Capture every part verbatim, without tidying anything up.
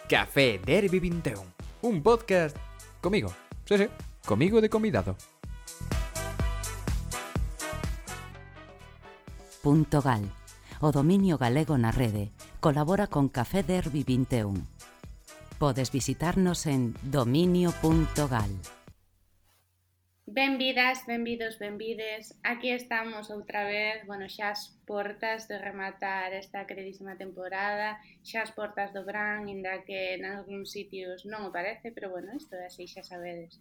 Café Derby vinte e un, un podcast comigo, sí, sí, comigo de convidado. Punto Gal, o dominio galego na rede, colabora con Café Derby vinte e un. Podes visitarnos en dominio punto gal. Benvidas, benvidos, benvides. Aquí estamos outra vez, bueno, xa as portas de rematar esta queridísima temporada, xa as portas do verán, inda que en algúns sitios non o parece, pero bueno, isto é así, xa sabedes.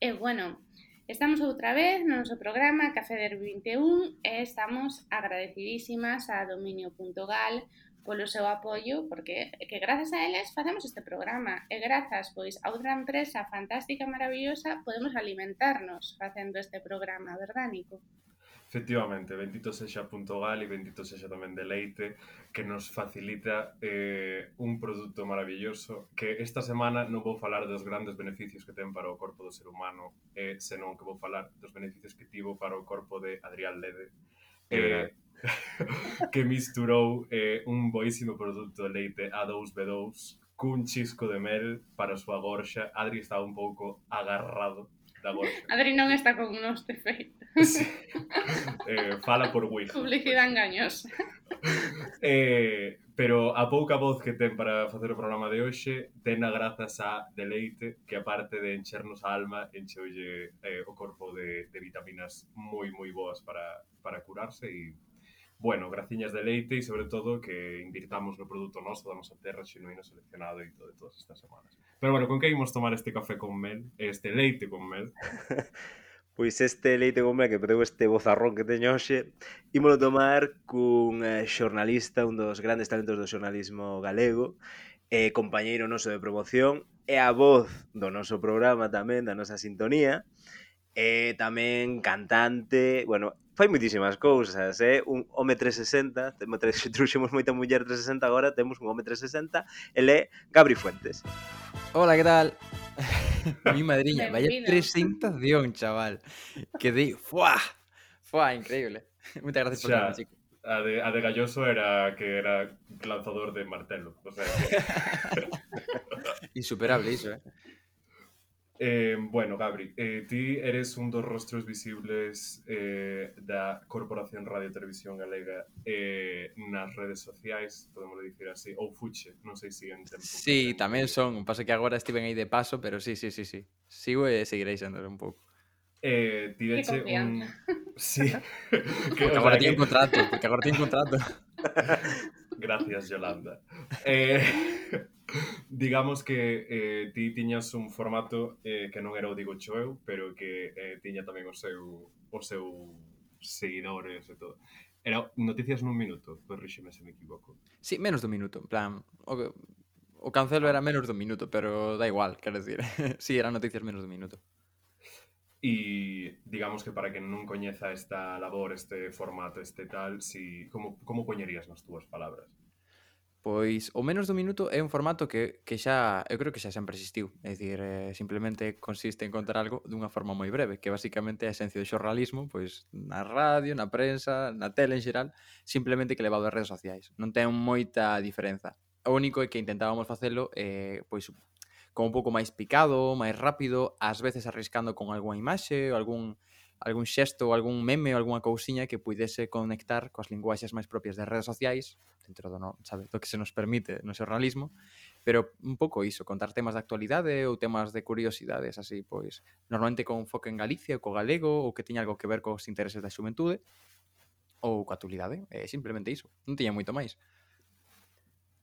E bueno, estamos outra vez no noso programa Café Derby vinte e un e estamos agradecidísimas a dominio punto gal polo seu apoio, porque que grazas a eles facemos este programa e grazas pois a outra empresa fantástica e maravillosa podemos alimentarnos facendo este programa, verdad, Nico? Efectivamente, bendito sexa Punto Gal e bendito sexa tamén Deleite, que nos facilita eh, un produto maravilloso que esta semana non vou falar dos grandes beneficios que ten para o corpo do ser humano, eh, senón que vou falar dos beneficios que tivo para o corpo de Adrián Lede, eh, que misturou eh, un boísimo produto de leite A dous B dous cun chisco de mel para a súa gorxa. Adri estaba un pouco agarrado da gorxa. Adri non está con nos, de feito. Sí. Eh, fala por Wix. Publicidade engañosa. Eh, pero a pouca voz que ten para facer o programa de hoxe, tena grazas a Deleite, que aparte de enchernos a alma, encheulle eh, o corpo de, de vitaminas moi moi boas para, para curarse e bueno, graciñas de leite e sobre todo que invirtamos no produto noso da nosa terra xenuíno seleccionado e todo de todas estas semanas. Pero bueno, con que imos tomar este café con mel, este leite con mel? Pois este leite con mel que perdeu este bozarrón que teño hoxe, ímolo tomar cun eh, xornalista, un dos grandes talentos do xornalismo galego, eh, compañeiro noso de promoción, e a voz do noso programa tamén, da nosa sintonía, e tamén cantante, bueno, fai moitísimas cousas, eh? Un home trescentos sesenta, truxemos moita muller trescentos sesenta, agora temos un home trescentos sesenta, ele é Gabri Fuentes. Hola, ¿qué tal? Mi madriña, vaya Benvido. presentación, chaval. Quedei, ¡fuah! ¡Fuah! Increíble. Muchas gracias por Xa, tenerme, chico. a de, a de Galloso era que era lanzador de martelo, o sea que... Insuperable iso, eh. Eh, bueno, Gabri, eh, ti eres un dos rostros visibles eh, da Corporación Radio Televisión Galega eh, nas redes sociais, podemos dicir así, ou fuche, non sei se en tempo. Sí, tamén son, pasa que agora estiven aí de paso, pero sí, sí, sí, sí. Sigo e seguirei sendo un pouco. Eh, ti Que veche un... confianza. Sí. que, Porque o agora sea, teño que... un contrato, porque agora teño un contrato. Gracias, Yolanda. Eh, digamos que eh, ti tiñas un formato eh, que non era o Digo Cho Eu, pero que eh, tiña tamén o seu, o seu seguidores e todo. Era Noticias nun minuto, corríxeme se me equivoco. Sí, menos dun minuto, en plan, o, o cancelo era menos dun minuto, pero da igual, quero decir. Sí, eran noticias menos dun minuto. E digamos que para quen non coñeza esta labor, este formato, este tal, si, como, como poñerías nas túas palabras? Pois o menos dun minuto é un formato que, que xa, eu creo que xa sempre existiu. É dicir, eh, simplemente consiste en contar algo dunha forma moi breve, que basicamente é a esencia do xornalismo, pois na radio, na prensa, na tele en xeral, simplemente que levado ás redes sociais. Non ten moita diferenza. O único é que intentábamos facelo eh, pois como un pouco máis picado, máis rápido, ás veces arriscando con algunha imaxe ou algún algún xesto, ou algún meme ou algunha cousiña que puidese conectar coas linguaxes máis propias das redes sociais, dentro do, no, sabe, do que se nos permite no xornalismo, pero un pouco iso, contar temas de actualidade ou temas de curiosidades, así, pois, normalmente con foco en Galicia, co galego, ou que tiña algo que ver cos intereses da xuventude, ou coa actualidade, é simplemente iso, non tiña moito máis.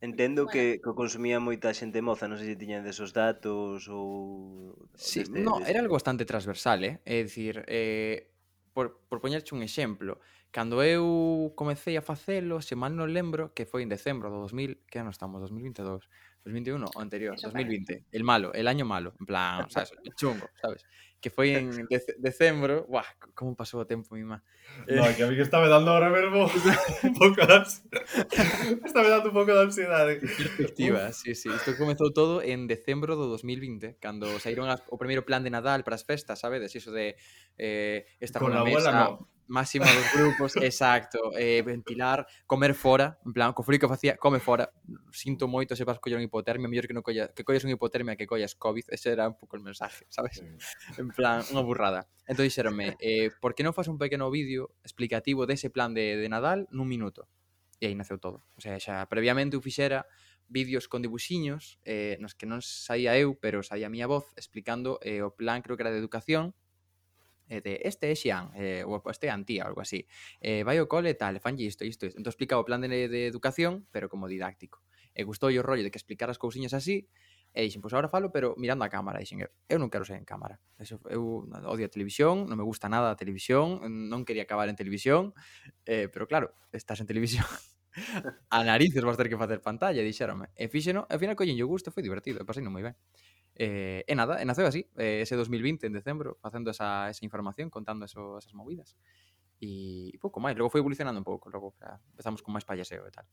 Entendo Bueno. que, que o consumía moita xente moza, non sei se tiñan desos datos ou... Sí, deste, no, deste... era algo bastante transversal, eh? É dicir, eh, por, por poñerche un exemplo, cando eu comecei a facelo, se mal non lembro, que foi en decembro do dos mil, que ano estamos, dos mil vinte e dous, dos mil vinte e un, o anterior, Eso dos mil vinte, el malo, el año malo, en plan, sabes, el chungo, sabes? Que foi en dec decembro, buah, como pasou o tempo, mima. Eh... No, que a mí que está me dando ahora mesmo un pouco de ansiedade. Está me dando un pouco de ansiedade. Que perspectiva, Uf. sí, sí. Isto comezou todo en decembro do dos mil vinte, cando saíron as, o primeiro plan de Nadal para as festas, sabedes? Iso de eh, estar Con nunha la abuela mesa... no. máxima dos grupos, exacto, eh, ventilar, comer fora, en plan, co frío que facía, come fora, sinto moito se vas coller unha hipotermia, mellor que non colla, que collas unha hipotermia que collas COVID, ese era un pouco el mensaje, sabes? Sí. En plan, unha burrada. Entón dixeronme, eh, por que non faz un pequeno vídeo explicativo dese plan de, de Nadal nun minuto? E aí naceu todo. O sea, xa previamente eu fixera vídeos con dibuxiños, eh, nos que non saía eu, pero saía a miña voz, explicando eh, o plan, creo que era de educación, eh, de este é Xian, eh, ou este é Antía, algo así. Eh, vai ao cole e tal, fanlle isto, isto, isto. Entón explicaba o plan de, de educación, pero como didáctico. E gustou o rollo de que explicara as cousiñas así, e dixen, pois agora falo, pero mirando a cámara. E dixen, eu non quero ser en cámara. Eso, eu odio a televisión, non me gusta nada a televisión, non quería acabar en televisión, eh, pero claro, estás en televisión. A narices vas ter que facer pantalla, dixéronme. E fíxeno, ao final collen yo gusto, foi divertido, e pasei non moi ben. Eh, e nada, e naceu así, eh, ese dos mil vinte en decembro, facendo esa, esa información, contando eso, esas movidas. E, e pouco máis, logo foi evolucionando un pouco, logo xa, empezamos con máis payaseo e tal.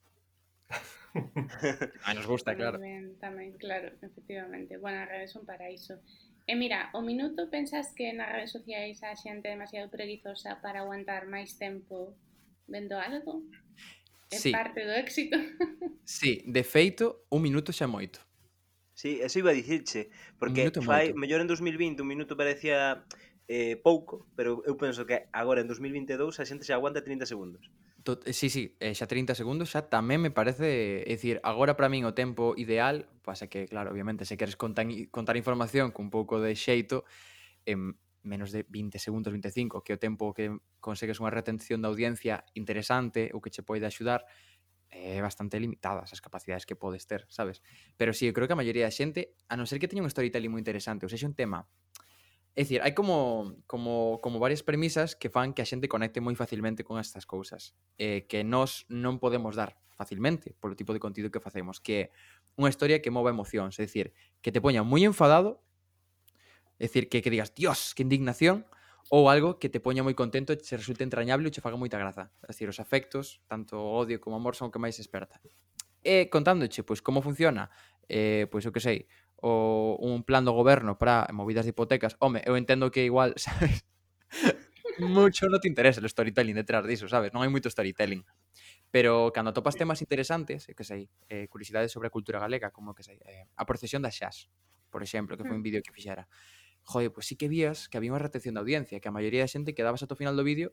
A nos gusta, Moi claro. ben, tamén, claro, efectivamente. Bueno, as redes son para iso. E mira, o minuto pensas que nas redes sociais a xente é demasiado preguizosa para aguantar máis tempo vendo algo? É Sí, parte do éxito? sí, de feito, un minuto xa é moito. Sí, eso iba a dicirche, Un porque minuto é fai, moito. mellor en dos mil vinte un minuto parecía eh, pouco, pero eu penso que agora en dos mil vinte e dous a xente xa aguanta trinta segundos. Tot, sí, sí, eh, xa trinta segundos xa tamén me parece, é dicir, agora para min o tempo ideal, pasa que, claro, obviamente, se queres contar, contar información con un pouco de xeito, en menos de vinte segundos, vinte e cinco, que é o tempo que consegues unha retención da audiencia interesante ou que che pode axudar, é bastante limitadas as capacidades que podes ter, sabes? Pero sí, eu creo que a maioría da xente, a non ser que teña un storytelling moi interesante, ou sexa un tema. É dicir, hai como, como, como varias premisas que fan que a xente conecte moi facilmente con estas cousas, eh, que nós non podemos dar facilmente polo tipo de contido que facemos, que é unha historia que mova emocións, é dicir, que te poña moi enfadado, é dicir, que, que digas, Dios, que indignación, ou algo que te poña moi contento e che resulte entrañable e che faga moita graza. É dicir, os afectos, tanto o odio como o amor, son o que máis esperta. E contándoche, pois, como funciona, eh, pois, eu que sei, o, un plan do goberno para movidas de hipotecas, home, eu entendo que igual, sabes, mucho non te interesa o storytelling detrás diso, sabes? Non hai moito storytelling. Pero cando atopas temas interesantes, eu que sei, eh, curiosidades sobre a cultura galega, como que sei, eh, a procesión das xas, por exemplo, que foi un vídeo que fixera. Joder, pois sí que vías que había unha retención de audiencia, que a maioría da xente quedabas ata o final do vídeo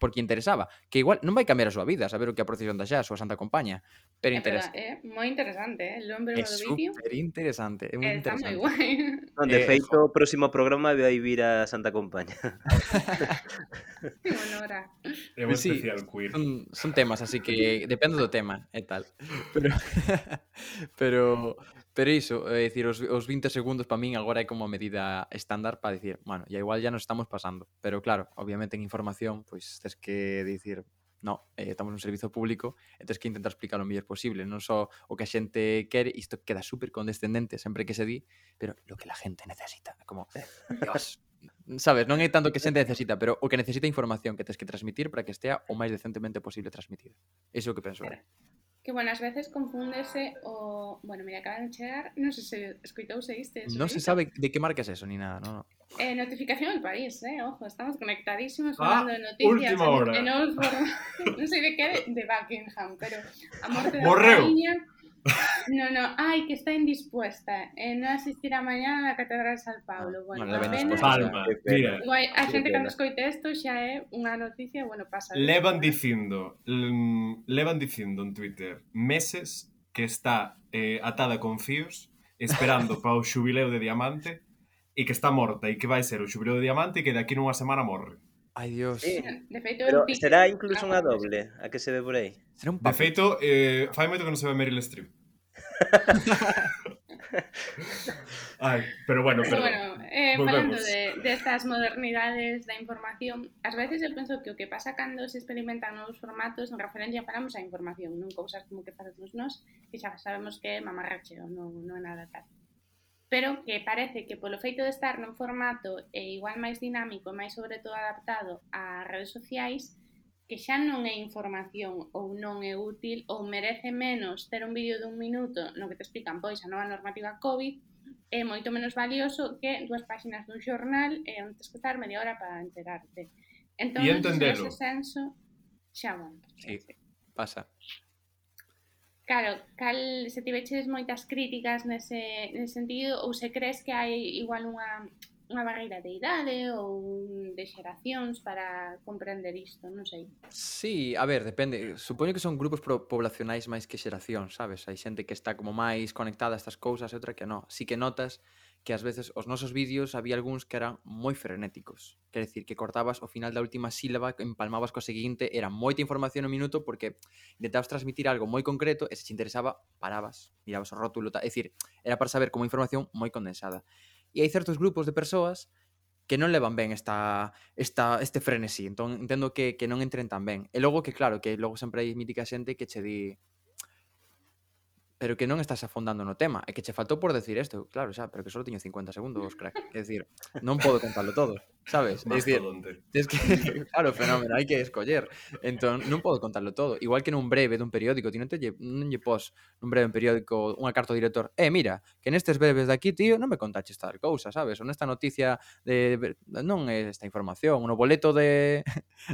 porque interesaba, que igual non vai cambiar a súa vida saber o que é a procesión da xas ou a Santa Compaña, pero É interesa. verdad, é moi interesante, eh? El nombre É do vídeo super interesante, é moi está moi interesante. guai. Non, de Eh, feito, jo. o próximo programa vai vir a Santa Compaña. Que honora. É un Pois sí, especial queer. son, son temas, así que depende do tema e tal. Pero pero pero iso, é dicir, os, os vinte segundos para min agora é como a medida estándar para dicir, bueno, ya igual ya nos estamos pasando. Pero claro, obviamente en información, pois tes que dicir, no, eh, estamos nun servizo público e tes que intentar explicar o mellor posible, non só o que a xente quere, isto queda super condescendente sempre que se di, pero lo que la gente necesita, como, Dios, sabes, non é tanto que a xente necesita, pero o que necesita información que tes que transmitir para que estea o máis decentemente posible transmitida. Iso é o que penso. Pero, que, bueno, ás veces confúndese o... Bueno, mira, acaban de chegar, non sei se escoitouse isto. Non se sabe de que marca é eso, ni nada, no, no. Eh, notificación del país, eh, ojo, estamos conectadísimos Ah, falando de noticias última hora. en, en novos formatos, non sei de que de, de Buckingham, pero a morte da Morreu. raíña. No, no, ai, que está indispuesta e non asistirá mañá na Catedral de San Paulo. Ah, Bueno, bueno, a ben pena. disposta. Palma, Que pena. mira, Igual, a Que xente pena. cando escoite isto xa é unha noticia, bueno, pasa. levan dicindo, mm, levan dicindo en Twitter meses que está eh, atada con fíos esperando para o xubileo de Diamante e que está morta e que vai ser o xubileo de Diamante e que daqui nunha semana morre. Ai, Dios. Sí. De feito, Pero un pique. será incluso unha Ah, doble a que se ve por aí. Será un De papel. feito, eh, fai moito que non se ve Meryl Streep. Ai, pero bueno, Pero perdón. bueno, eh, falando Volvemos. de, de estas modernidades da información, ás veces eu penso que o que pasa cando se experimentan novos formatos en referencia falamos a información, non cousas como que facemos nós, que xa sabemos que é mamarracheo, non, non é nada tal. Pero que parece que polo feito de estar nun formato e igual máis dinámico e máis sobre todo adaptado a redes sociais, que xa non é información ou non é útil ou merece menos ter un vídeo dun minuto no que te explican pois a nova normativa COVID é moito menos valioso que dúas páxinas dun xornal e onde tens que estar media hora para enterarte. Entón, E nese entendelo. senso, xa, bueno, Sí, pasa. Claro, cal, se tiveches moitas críticas nese, nese sentido, ou se crees que hai igual unha, unha barreira de idade ou de xeracións para comprender isto, non sei. Sí, a ver, depende. Supoño que son grupos pro- poblacionais máis que xeración, sabes? Hai xente que está como máis conectada a estas cousas e outra que non. Sí que notas que ás veces os nosos vídeos había algúns que eran moi frenéticos. Quer decir, que cortabas ao final da última sílaba, empalmabas co seguinte, era moita información no minuto porque intentabas transmitir algo moi concreto e se te interesaba, parabas, mirabas o rótulo, tal. É dicir, era para saber como información moi condensada. E hai certos grupos de persoas que non levan ben esta, esta, este frenesí, entón entendo que, que non entren tan ben. E logo que claro, que logo sempre hai mítica xente que che di pero que non estás afondando no tema, e que che faltou por decir isto, claro, xa, pero que só teño cincuenta segundos, crack. É dicir, non podo contalo todo, sabes? É dicir, Mastodonte. tes que, claro, fenómeno, hai que escoller. Entón, non podo contarlo todo. Igual que nun breve dun periódico, ti non te lle, non lle pos nun breve periódico unha carta ao director, eh, mira, que nestes breves de aquí, tío, non me contaches tal cousa, sabes? Ou nesta noticia de, non é esta información, no boleto de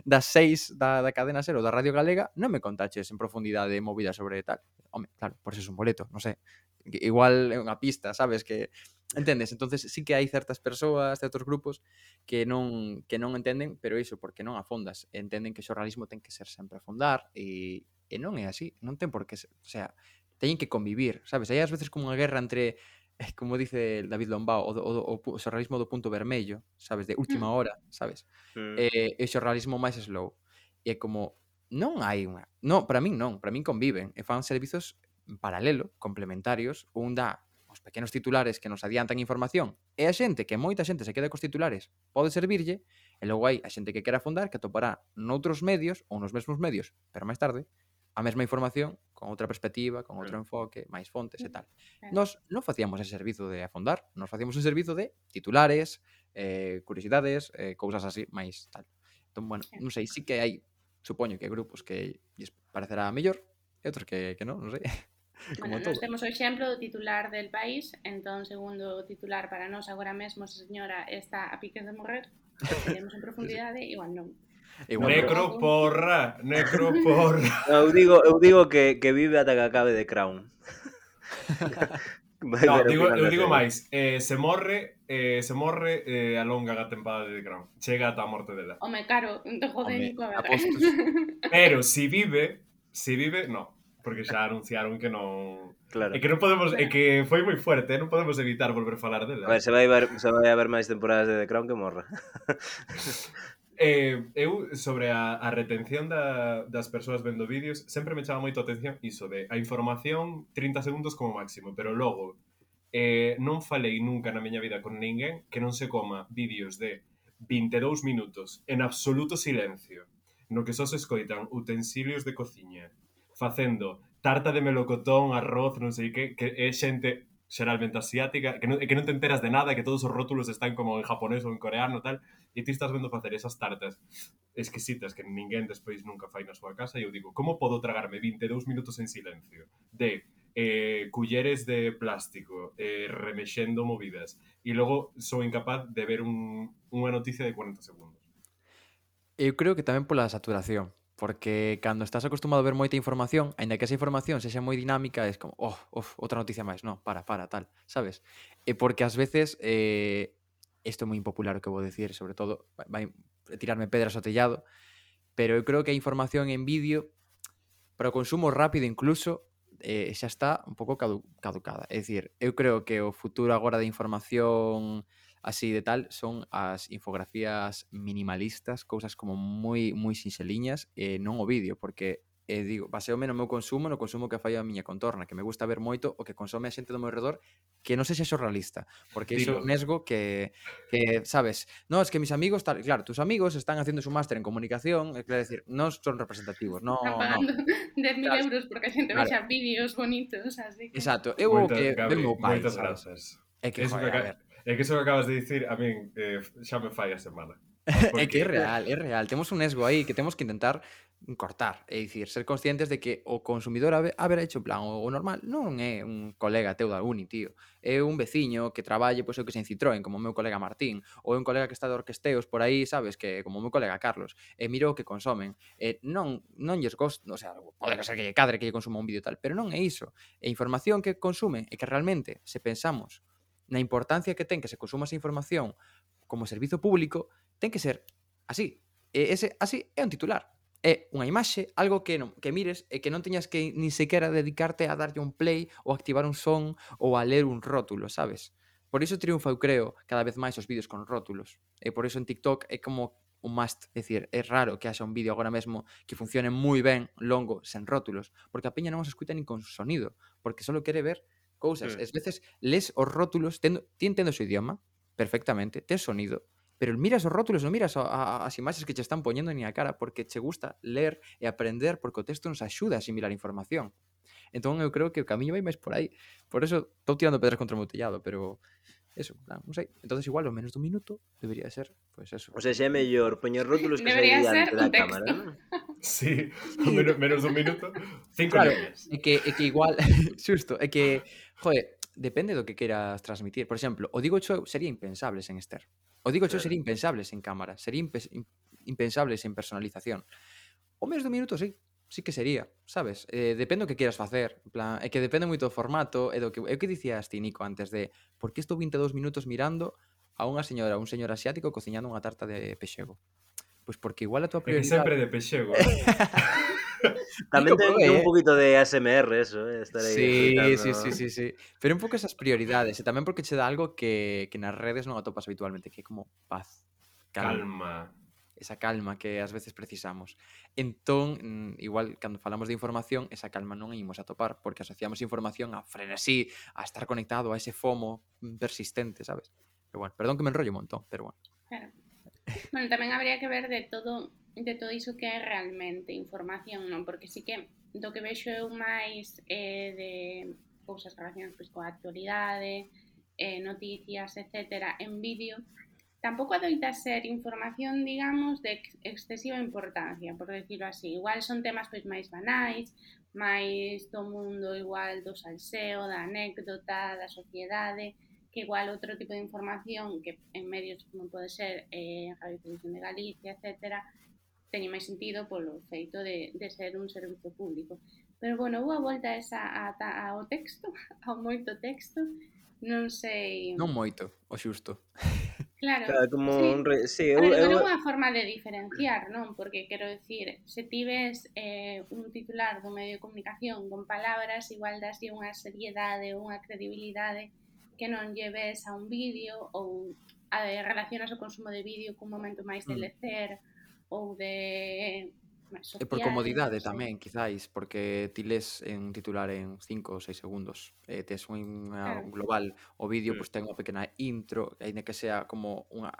das seis da, da cadena Ser ou da Radio Galega, non me contaches en profundidade movida sobre tal. Home, claro, por eso es un boleto, non sei. Igual é unha pista, sabes, que entendes? Entonces sí que hai certas persoas, certos grupos que non que non entenden, pero iso porque non afondas, entenden que o xornalismo ten que ser sempre afondar e e non é así, non ten por que ser, o sea, teñen que convivir, sabes? Hai ás veces como unha guerra entre eh, como dice David Lombao, o, o, o, o xornalismo do punto vermello, sabes, de última hora, sabes? Mm. E, e o xornalismo máis slow. E é como non hai unha... Non, para min non, para min conviven e fan servizos en paralelo, complementarios, un dá os pequenos titulares que nos adiantan información e a xente, que moita xente se queda cos titulares, pode servirlle, e logo hai a xente que quera afondar que atopará noutros medios ou nos mesmos medios, pero máis tarde, a mesma información con outra perspectiva, con outro enfoque, máis fontes e tal. Nos non facíamos ese servizo de afondar, nos facíamos un servizo de titulares, eh, curiosidades, eh, cousas así, máis tal. Entón, bueno, non sei, sí que hai, supoño que hai grupos que lles parecerá mellor e outros que, que non, non sei. Como Bueno, todo. nos temos o exemplo do titular del país, entón, segundo o titular para nós, agora mesmo, se a señora está a piques de morrer, iremos en profundidade, igual non. Igual non. Necroporra, necroporra. Eu digo, eu digo que, que vive ata que acabe de Crown. Vai No, ver o digo, final eu da digo serie. máis, eh, se morre, eh, se morre eh, alonga a tempada de The Crown. Chega ata a morte dela. Home, caro, de joder, Home, Nico, a ver. apostos. Pero si vive, si vive, no, porque xa anunciaron que non. Claro. É que non podemos, é que foi moi fuerte, non podemos evitar volver a falar dela. A ver, se vai ver, se vai haber máis temporadas de The Crown que morra. Eh, eu, sobre a, a retención da, das persoas vendo vídeos, sempre me chama moito a atención iso de a información trinta segundos como máximo, pero logo eh, non falei nunca na miña vida con ninguén que non se coma vídeos de vinte e dous minutos en absoluto silencio, no que só se escoitan utensilios de cociña, facendo tarta de melocotón, arroz, non sei que, que é xente xeralmente asiática, que non, que non te enteras de nada, que todos os rótulos están como en japonés ou en coreano tal, e ti estás vendo facer esas tartas exquisitas que ninguén despois nunca fai na súa casa, e eu digo, como podo tragarme vinte e dous minutos en silencio de eh, culleres de plástico eh, remexendo movidas e logo sou incapaz de ver un, unha noticia de cuarenta segundos? Eu creo que tamén pola saturación, porque cando estás acostumado a ver moita información, aínda que esa información sexa moi dinámica, es como, oh, uf, outra noticia máis, no, para, para, tal, sabes? E porque ás veces, eh, isto é moi impopular o que vou decir, sobre todo, vai, vai tirarme pedras ao tellado, pero eu creo que a información en vídeo, para o consumo rápido incluso, eh, xa está un pouco cadu caducada. É dicir, eu creo que o futuro agora de información así de tal son as infografías minimalistas, cousas como moi moi sinxeliñas e non o vídeo, porque eh, digo, baseome no meu consumo, no consumo que fai a miña contorna, que me gusta ver moito o que consome a xente do meu redor que non sexa xornalista, porque iso Dilo. nesgo que, que sabes, no, es que mis amigos, tal, claro, tus amigos están haciendo su máster en comunicación, é claro, decir, non son representativos, no, Están no. pagando dez mil Claro, euros porque a xente claro. vexa vídeos bonitos, así que... Exacto, eu o Moita, que Gabri, ven meu pai, moitas sabes? grazas. É que, Eso joder, que, a ver. é que eso que acabas de dicir a min eh, xa me fai a semana. É que é Porque real, é real. Temos un esgo aí que temos que intentar cortar. É dicir, ser conscientes de que o consumidor haber, haber hecho en plan o, o normal non é un colega teu da uni, tío. É un veciño que traballe, pois eu que sei, en Citroën, como o meu colega Martín, ou é un colega que está de orquesteos por aí, sabes, que como o meu colega Carlos, e miro o que consomen. E non non lles gosto, o sea, pode ser que lle cadre que lle consuma un vídeo tal, pero non é iso. E a información que consumen é que realmente, se pensamos na importancia que ten que se consuma esa información como servizo público, ten que ser así. E ese así é un titular. É unha imaxe, algo que non, que mires e que non teñas que ni sequera dedicarte a darlle un play ou activar un son ou a ler un rótulo, sabes? Por iso triunfa, eu creo, cada vez máis os vídeos con rótulos. E por iso en TikTok é como un must, é dicir, é raro que haxa un vídeo agora mesmo que funcione moi ben longo sen rótulos, porque a peña non os escuta nin con sonido, porque só quere ver cousas. Mm. Es veces les os rótulos, tendo, ti entendo o seu idioma perfectamente, tes sonido, pero miras os rótulos, non miras a, a, as imaxes que che están poñendo ni a cara, porque che gusta ler e aprender, porque o texto nos axuda a asimilar información. Entón eu creo que o camiño vai máis por aí. Por eso estou tirando pedras contra o meu tellado, pero eso, non sei. Entonces igual o menos dun minuto debería ser, pois pues eso. O sea, xa é mellor poñer rótulos que Debería sair ser diante un da texto. cámara, non? sí, menos, menos dun minuto, cinco Claro, líneas. é que, é que igual, xusto, é que, joder, depende do que queiras transmitir. Por exemplo, o Digo Show sería impensable sen Esther. O Digo Show Claro. sería impensable sen cámara, sería impe impensable sen personalización. O menos dun minuto, sí, sí que sería, sabes? Eh, depende do que queiras facer, en plan, é que depende moito do formato e do que, é o que dicías ti, Nico, antes de por que estou vinte e dous minutos mirando a unha señora, un señor asiático cociñando unha tarta de pexego? Pois porque igual a tua É que prioridade... sempre de pexego, eh? Tamén Nico, ten, prove, ten un eh? poquito de A S M R eso, eh? Estar aí Sí, fritando. sí, sí, sí, sí. Pero un pouco esas prioridades, e tamén porque che dá algo que, que nas redes non atopas habitualmente, que é como paz, calma, Calma. esa calma que ás veces precisamos. Entón, mm, igual, cando falamos de información, esa calma non a imos a topar, porque asociamos información a frenesí, a estar conectado a ese FOMO persistente, sabes? Pero bueno, perdón que me enrollo un montón, pero bueno. Claro. Bueno, tamén habría que ver de todo de todo iso que é realmente información, non? Porque sí que do que vexo eu máis eh, de cousas relacionadas pois, coa actualidade, eh, noticias, etcétera, en vídeo, tampouco adoita ser información, digamos, de ex excesiva importancia, por decirlo así. Igual son temas pois máis banais, máis do mundo igual do salseo, da anécdota, da sociedade, que igual outro tipo de información que en medios como pode ser eh, Radio Televisión de Galicia, etcétera, teñe máis sentido polo feito de, de ser un servizo público. Pero, bueno, vou a volta esa a, a, ao texto, ao moito texto, non sei... Non moito, o xusto. Claro, Claro, como sí. un re... sí, A eu, ver, eu... non é unha forma de diferenciar, non? Porque, quero dicir, se ti ves eh, un titular dun medio de comunicación con palabras, igual daslle unha seriedade ou unha credibilidade que non lleves a un vídeo ou a, relacionas o consumo de vídeo cun momento máis de lecer ou de social, e por comodidade non sei. tamén, quizáis, porque ti les en titular en cinco ou seis segundos. Eh, tes unha Claro. global, o vídeo Mm. pois ten unha pequena intro, aínda que sea como unha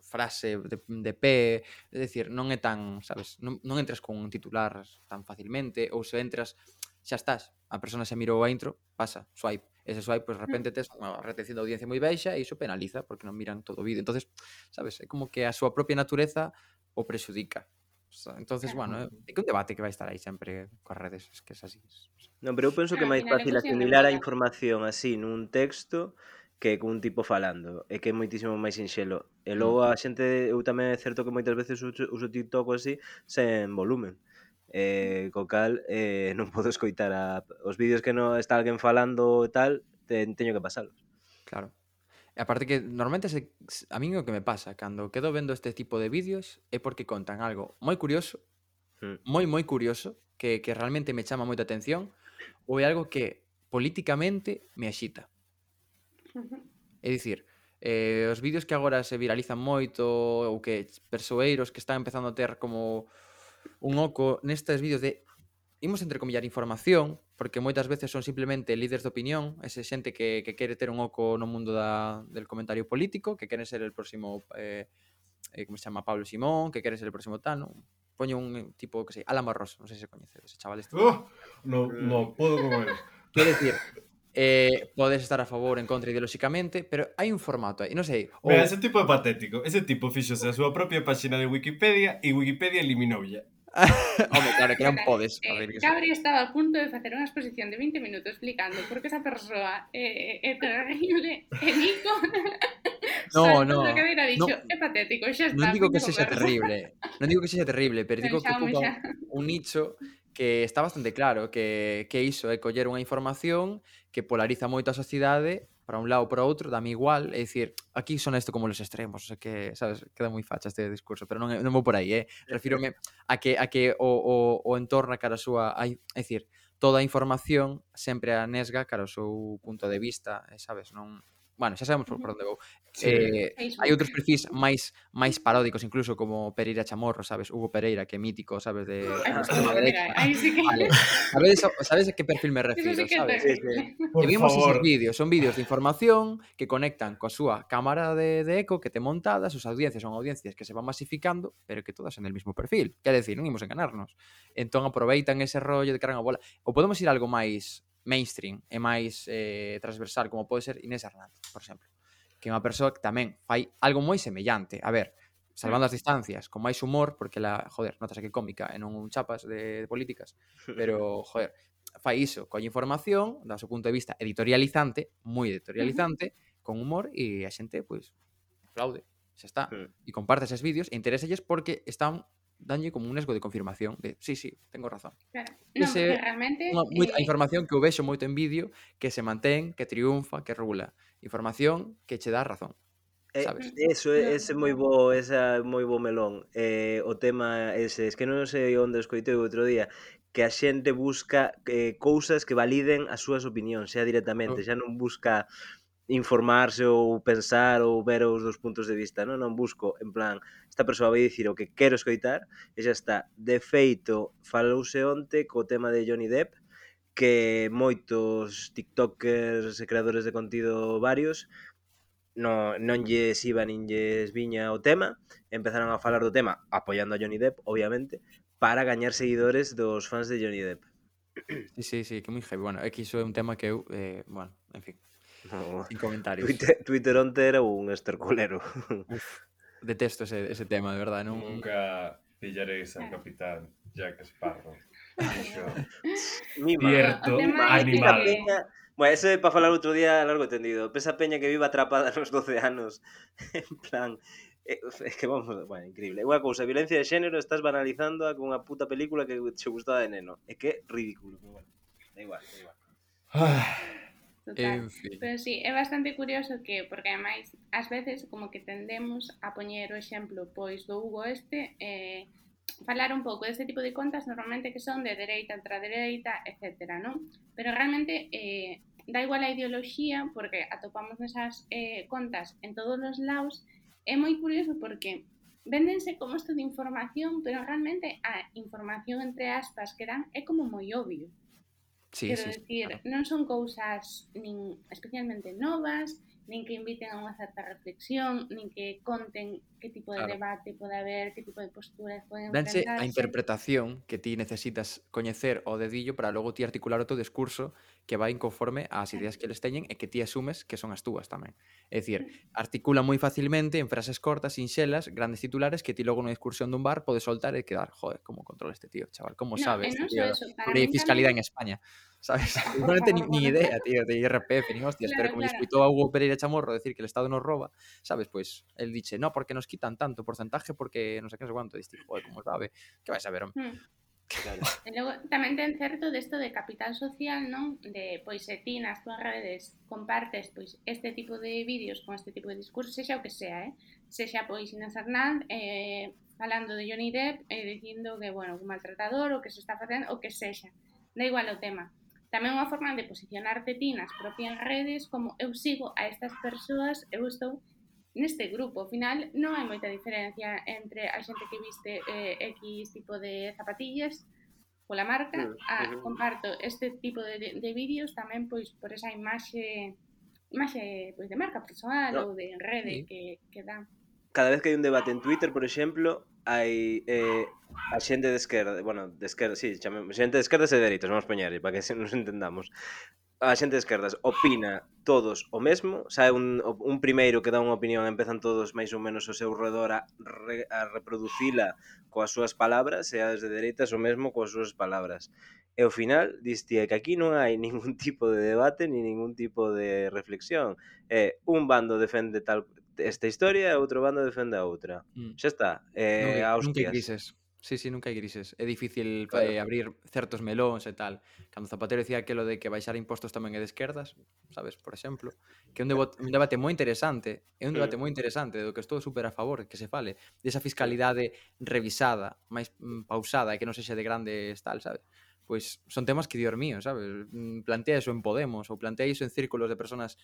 frase de, de pé, é dicir, non é tan, sabes, non, non entras con un titular tan facilmente, ou se entras, xa estás, a persona se mirou a intro, pasa, swipe, ese swipe, pois de repente tes unha retención de audiencia moi baixa e iso penaliza, porque non miran todo o vídeo. Entonces, sabes, é como que a súa propia natureza o prexudica. O sea, entonces, Claro. bueno, é que un debate que vai estar aí sempre coas redes, es que es así. Non, pero eu penso que é Al máis final é fácil cuestión de asimilar a moda. información así nun texto que cun tipo falando, é que é moitísimo máis sinxelo. E Mm. logo a xente, eu tamén é certo que moitas veces uso, uso TikTok ou así sen volumen. Eh, co cal eh, non podo escoitar a, os vídeos que non está alguén falando e tal, te, teño que pasalos. Claro. E aparte que normalmente se, a min o que me pasa cando quedo vendo este tipo de vídeos é porque contan algo moi curioso, Mm. moi moi curioso, que, que realmente me chama moita atención, ou é algo que políticamente me axita. É dicir, eh, os vídeos que agora se viralizan moito ou que persoeiros que están empezando a ter como un oco nestes vídeos de imos entrecomillar información, porque moitas veces son simplemente líderes de opinión, ese xente que, que quere ter un oco no mundo da, del comentario político, que quere ser el próximo eh, eh, como se chama, Pablo Simón, que quere ser el próximo tal, non? Poño un tipo, que sei, Alan Barroso, non sei se coñece ese chaval este. Oh, no, no podo con él. Quero decir, eh, podes estar a favor ou en contra ideolóxicamente, pero hai un formato aí, non sei, ou Mira, ese tipo é patético. Ese tipo fixose a súa propia páxina de Wikipedia e Wikipedia eliminoulla. home, claro, que non Total, podes eh, facer iso. Gabri estaba a punto de facer unha exposición de vinte minutos explicando por que esa persoa é, é terrible e Nico No, saltou no, da cadeira e dixo, no, é patético, xa non está, digo fin que de sexa conversa. terrible, non digo que sexa terrible, pero Ben, digo que Xaume, ocupa xa. un nicho que está bastante claro, que, que iso é coller unha información que polariza moito a sociedade para un lado ou para outro, dame igual, é dicir, aquí son isto como los extremos, o sea que, sabes, queda moi facha este discurso, pero non, é- non vou por aí, eh? Refírome a que, a que o, o, o entorna cara a súa, hai, é dicir, toda a información sempre a nesga cara ao seu punto de vista, eh, sabes, non... Bueno, xa sabemos por, por onde vou. Sí. Eh, hai Facebook. outros perfis máis máis paródicos incluso como Pereira Chamorro, sabes? Hugo Pereira, que é mítico, sabes, de, de Ai, extrema mira, derecha. aí sí que... Vale. Sabes, sabes a que perfil me Eso refiro, sí que é sabes? Sí, terrible. Por E vimos esos favor. vídeos, son vídeos de información que conectan coa súa cámara de, de eco que te montada, sus audiencias son audiencias que se van masificando, pero que todas en el mismo perfil. Quer decir, non imos enganarnos. Entón aproveitan ese rollo de cargan a bola. Ou podemos ir a algo máis mainstream e máis eh, transversal, como pode ser Inés Hernández, por exemplo, que é unha persoa que tamén fai algo moi semellante. A ver, salvando as distancias, con máis humor, porque la, joder, notas que é cómica e non un chapas de, de políticas, pero, joder, fai iso, colle información, da seu punto de vista editorializante, moi editorializante, con humor, e a xente, pois, aplaude, xa está. E comparte eses vídeos e interéselles porque están danlle como un nesgo de confirmación de, sí, sí, tengo razón. Claro. Non, Ese porque realmente... unha, moi, a Eh, información que eu vexo moito en vídeo, que se mantén, que triunfa, que rula. Información que che dá razón, Eh, sabes? eso, no, ese moi bo, esa moi bo melón. Eh, o tema ese, es que non sei onde o escoitei o outro día, que a xente busca eh, cousas que validen as súas opinións, xa directamente, xa non busca informarse ou pensar ou ver os dos puntos de vista, non, non busco, en plan, esta persoa vai dicir o que quero escoitar e xa está. De feito, falouse onte co tema de Johnny Depp, que moitos tiktokers e creadores de contido varios no, non lles iba nin lles viña o tema, empezaron a falar do tema apoiando a Johnny Depp, obviamente, para gañar seguidores dos fans de Johnny Depp. Sí, sí, sí, que moi heavy. Bueno, é que iso é un tema que eu, eh, bueno, en fin, No, sin comentarios. Twitter, Twitter onte era un estercolero. Uf, detesto ese, ese tema, de verdade, non? Nunca pillaréis al capitán Jack Sparrow. Dixo, Mima. cierto O tema Esa é animal. que- peña, bueno, eso é para falar outro día largo e tendido. Esa peña que vive atrapada nos doce anos, en plan, é, é que vamos, bueno, increíble. Unha cousa, violencia de xénero, estás banalizando a con unha puta película que che gustaba de neno. É que é ridículo, pero bueno, da igual, da igual. Ah, Total. En fin. Pero sí, é bastante curioso que, porque ademais, ás veces como que tendemos a poñer o exemplo pois do Hugo este, eh, falar un pouco deste tipo de contas normalmente que son de dereita, ultradereita, etcétera, non? Pero realmente eh, da igual a ideoloxía porque atopamos nesas eh, contas en todos os lados. É moi curioso porque véndense como isto de información, pero realmente a información entre aspas que dan é como moi obvio. Sí, Quero sí, sí, dicir, claro. non son cousas nin especialmente novas, nin que inviten a unha certa reflexión, nin que conten que tipo de Claro. debate pode haber, que tipo de posturas poden Danse a enfrentarse. interpretación que ti necesitas coñecer o dedillo para logo ti articular o teu discurso que vai conforme ás ideas que eles teñen e que ti asumes que son as túas tamén. É dicir, articula moi facilmente en frases cortas, sinxelas, grandes titulares que ti logo na discursión dun bar podes soltar e quedar, joder, como controla este tío, chaval, como No, sabe e este non tío só da eso, para lei de min fiscalidade en tamén... España, sabes? Igualmente ni, ni idea, tío, de I R P F, nin hostias, pero Claro, como lle claro. escuitou a Hugo Pereira Chamorro decir que el Estado nos roba, sabes, pois, el diche, no, porque nos quitan tanto porcentaje porque non sei que non sei cuánto, diste, joder, como sabe, que vai saber, home. Hmm. Claro. E logo tamén ten certo desto de capital social, non? De, pois, se ti nas túas redes compartes, pois, este tipo de vídeos con este tipo de discurso, sexa o que sea, eh? Sexa, pois, Inés Hernández, eh, falando de Johnny Depp, eh, dicindo que, bueno, un maltratador, o que se está facendo, o que sexa. Da igual o tema. Tamén unha forma de posicionarte ti nas propias redes como eu sigo a estas persoas, eu estou neste grupo. Ao final non hai moita diferencia entre a xente que viste eh, X tipo de zapatillas pola marca, Mm, a ujú. comparto este tipo de, de, de vídeos tamén pois por esa imaxe imaxe pois de marca persoal No, ou de rede sí. que, que dan. Cada vez que hai un debate en Twitter, por exemplo, hai eh, a xente de esquerda, bueno, de esquerda, sí, chamemos, xente de esquerdas e dereitas, vamos poñer, para que se nos entendamos. a xente de esquerdas opina todos o mesmo, sae un, un primeiro que dá unha opinión, empezan todos máis ou menos ao seu redor a, re, a reproducila coas súas palabras, e as de dereitas o mesmo coas súas palabras. E ao final, diste que aquí non hai ningún tipo de debate ni ningún tipo de reflexión. É un bando defende tal esta historia e outro bando defende a outra. Mm. Xa está, Nunca, eh, a nunca hai hostias. grises. Sí, sí, nunca hai grises. É difícil Claro. eh, abrir certos melóns e tal. Cando Zapatero dicía aquilo de que baixar impostos tamén é de esquerdas, sabes, por exemplo, que é un, debate, un debate moi interesante, é un debate moi interesante do que estou super a favor que se fale, desa fiscalidade revisada, máis mm, pausada e que non sexa de grandes tal, sabes? Pois son temas que, dios mío, sabes? Mm, Plantea iso en Podemos ou plantea iso en círculos de personas.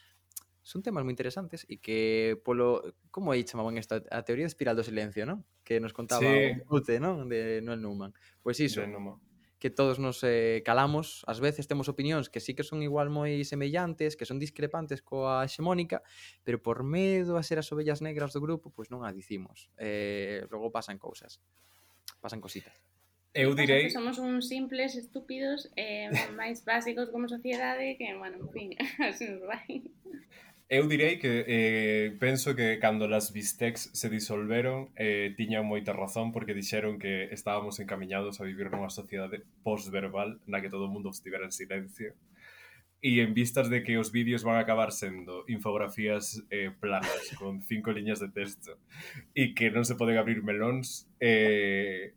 Son temas moi interesantes e que polo... Como aí chamaban esta? A teoría de espiral do silencio, non? Que nos contaba o Sí, Ute, non? De Noel Newman. Pois iso, de Numa. que todos nos eh, calamos, ás veces temos opinións que sí que son igual moi semellantes, que son discrepantes coa hexemónica, pero por medo a ser as ovellas negras do grupo, pois non a dicimos. Eh, logo pasan cousas. Pasan cositas. Eu Pasa direi... que somos uns simples estúpidos eh, máis básicos como sociedade que, bueno, en fin, así nos vai. Eu direi que eh, penso que cando las bistecs se disolveron eh, tiñan moita razón porque dixeron que estábamos encamiñados a vivir nunha sociedade postverbal na que todo o mundo estivera en silencio e en vistas de que os vídeos van a acabar sendo infografías eh, planas con cinco liñas de texto e que non se poden abrir melóns, eh,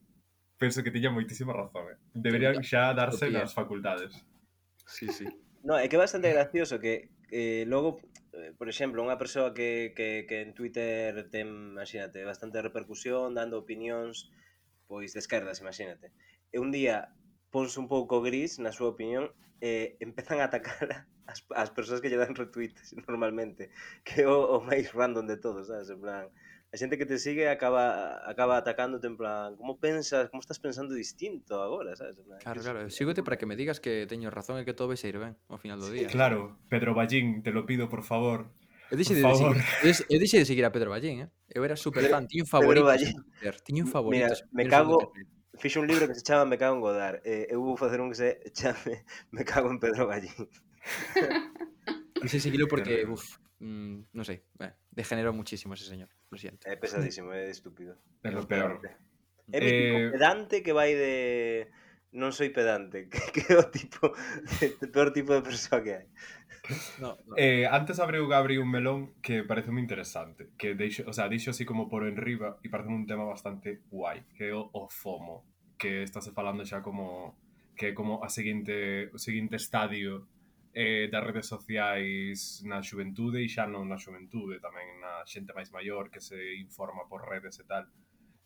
penso que tiña moitísima razón. Eh. Deberían xa darse Utopía. nas facultades. Sí, sí. No, é que é bastante gracioso que eh, logo, eh, por exemplo, unha persoa que, que, que en Twitter ten, imagínate, bastante repercusión, dando opinións pois de esquerdas, imagínate. E un día ponse un pouco gris na súa opinión e empezan a atacar as, as persoas que lle dan retweets normalmente, que é o, o máis random de todos, sabes? En plan, a xente que te sigue acaba acaba atacándote en plan, como pensas, como estás pensando distinto agora, sabes? En plan, Claro, que claro. es- Sígote para que me digas que teño razón e que todo vai sair ben ao final do día. Claro, Pedro Ballín, te lo pido, por favor. Eu dixe Por de, favor. seguir, eu dixe de seguir a Pedro Ballín, eh? Eu era super Pedro- fan, tiño un Pedro favorito Ballín. en Twitter, tiño un Mira, favorito. me cago, fixo un libro que se chama Me cago en Godard. Eh, eu vou facer un que se chame Me cago en Pedro Ballín. Non sei seguilo porque, Terrible. uf, mm, non sei, eh, degenerou muchísimo ese señor, lo siento. É pesadísimo, é estúpido. É lo peor. É mítico Eh, pedante que vai de non soy pedante, que, que é o tipo o peor tipo de persoa que hai. No, no. Eh, antes abriu Gabri un melón que parece moi interesante, que deixo, o sea, dixo así como por enriba e parece un tema bastante guai, que é o, o FOMO, que estáse falando xa como que é como a seguinte, o seguinte estadio eh, das redes sociais na xuventude e xa non na xuventude, tamén na xente máis maior que se informa por redes e tal.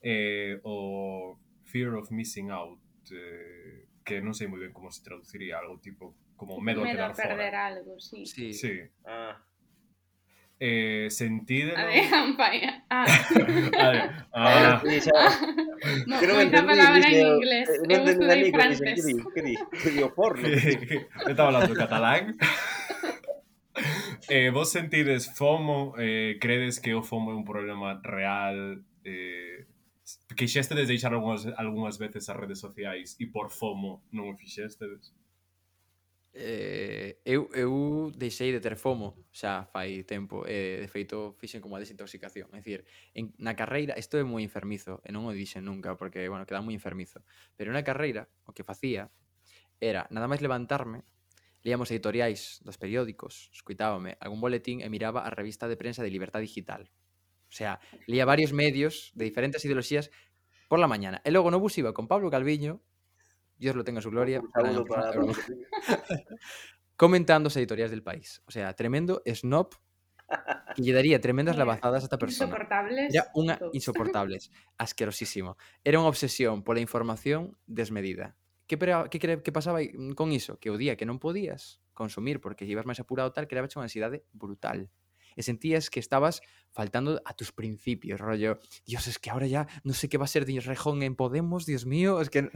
Eh, o fear of missing out, eh, que non sei moi ben como se traduciría, algo tipo como medo, Medo a a quedar perder fora. algo, sí. Sí. Sí. Ah, Eh, sentídelo... A de campaña. Ah. Vale. ah, Ah, sí, xa, Mo- que non Moita entendí, palabra en dixen, inglés. eh, non Eu entendí estudei Nico, dixen, francés. que di, que di, que di o porno. que estaba hablando catalán. Eh, vos sentides FOMO? Eh, credes que o FOMO é un problema real? Eh, quixestedes deixar algunhas, algunhas veces as redes sociais e por FOMO non o fixestedes? Eh, eu, eu deixei de ter FOMO xa fai tempo e de feito fixen como a desintoxicación, é dicir, en, na carreira, isto é moi enfermizo e non o dixen nunca porque, bueno, queda moi enfermizo, pero na carreira o que facía era nada máis levantarme, leíamos editoriais dos periódicos, escuitábame algún boletín e miraba a revista de prensa de Libertad Digital. O sea, leía varios medios de diferentes ideoloxías por la mañana. E logo no bus iba con Pablo Calviño, Dios lo tenga en su gloria, Un gran saúdo persona, para... hermano, comentando as editoriais del país. O sea, tremendo snob que lle daría tremendas lavazadas a esta persona. Insoportables. Era unha todos. insoportables, asquerosísimo. Era unha obsesión pola información desmedida. Que, pera, que, que pasaba con iso? Que o día que non podías consumir porque ibas máis apurado tal, creaba unha ansiedade brutal. E sentías que estabas faltando a tus principios, rollo, Dios, es que ahora ya no sé qué va a ser de Rejón en Podemos, Dios mío, es que...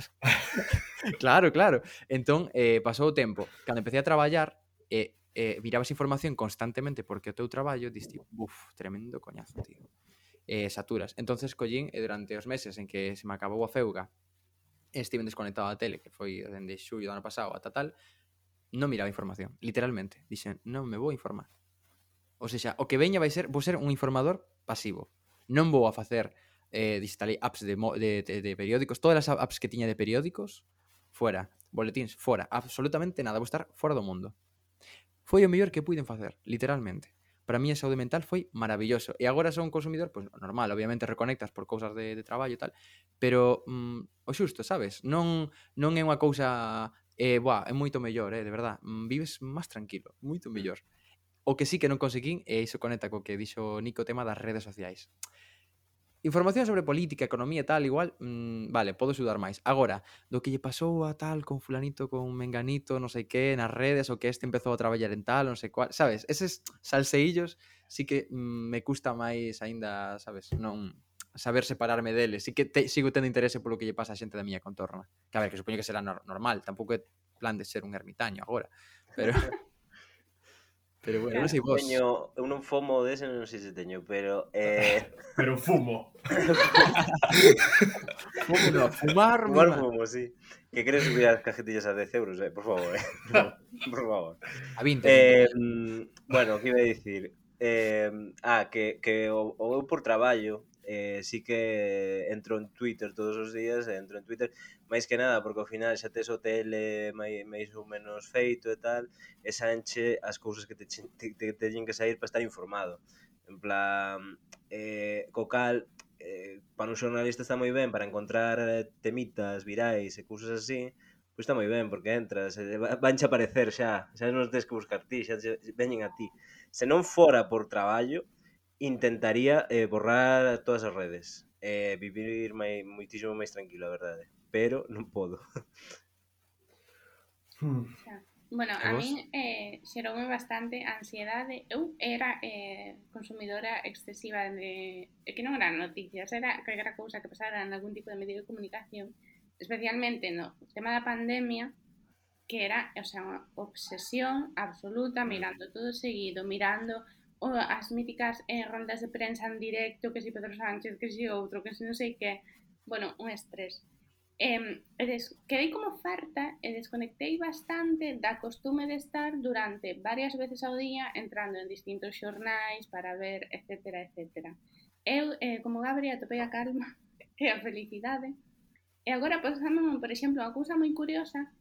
claro, claro. Entón, eh, pasou o tempo. Cando empecé a traballar, eh, eh, virabas información constantemente porque o teu traballo, diste, buf, tremendo coñazo, tío. Eh, saturas. Entonces, collín, e durante os meses en que se me acabou a feuga, estiven desconectado da tele, que foi dende xullo do ano pasado ata tal, non miraba información, literalmente. Dixen, non me vou informar. O seja, o que veña vai ser, vou ser un informador pasivo. Non vou a facer eh, digital apps de, de, de, de periódicos, todas as apps que tiña de periódicos, fuera, boletíns, fora, absolutamente nada, vou estar fora do mundo. Foi o mellor que puiden facer, literalmente. Para mí a saúde mental foi maravilloso. E agora son un consumidor, pois pues, normal, obviamente reconectas por cousas de, de traballo e tal, pero mm, o xusto, sabes? Non, non é unha cousa, eh, buah, é moito mellor, eh, de verdad. Mm, vives máis tranquilo, moito mellor. O que sí que non conseguín, e iso conecta co que dixo Nico, o tema das redes sociais. Información sobre política, economía e tal, igual, mmm, vale, podo xudar máis. Agora, do que lle pasou a tal con fulanito, con menganito, non sei que, nas redes, o que este empezou a traballar en tal, non sei cual, sabes? Eses salseillos sí que mm, me custa máis aínda, sabes? Non saber separarme deles. Sí que te, sigo tendo interese polo que lle pasa a xente da miña contorna. Que a ver, que supoño que será no, normal, tampouco é plan de ser un ermitaño agora, pero... Pero bueno, claro. Non sei vos. Teño, eu non fomo dese, non sei se teño, pero... Eh... pero fumo. Fumo no, fumar... Fumar fumo, sí. Que queres subir as cajetillas a dez euros, eh? Por favor, eh? Por favor. A vinte. Eh, bueno, que iba a dicir? Eh, ah, que, que o, o eu por traballo eh, sí que entro en Twitter todos os días, entro en Twitter máis que nada porque ao final xa tes o tele máis ou menos feito e tal, e sanche as cousas que te, te, te teñen que sair para estar informado. En plan, eh, co cal, eh, para un xornalista está moi ben para encontrar temitas virais e cousas así, pois está moi ben, porque entras, eh, vanche aparecer xa, xa non tens que buscar ti, xa veñen a ti. Se non fora por traballo, intentaría eh, borrar todas as redes, eh, vivir mai, moitísimo máis tranquilo, a verdade, pero non podo. Hmm. Bueno, a min eh, xeroume bastante ansiedade. Eu era eh, consumidora excesiva de... que non eran noticias, era calquera cousa que pasara en algún tipo de medio de comunicación, especialmente no tema da pandemia, que era, o sea, unha obsesión absoluta, mirando todo seguido, mirando o, as míticas eh, rondas de prensa en directo, que si Pedro Sánchez, que si outro, que si non sei que, bueno, un estrés. Eh, des, quedei como farta e desconectei bastante da costume de estar durante varias veces ao día entrando en distintos xornais para ver, etcétera, etcétera. Eu, eh, como Gabriel, atopei a calma e a felicidade. E agora pasamos, por exemplo, unha cousa moi curiosa.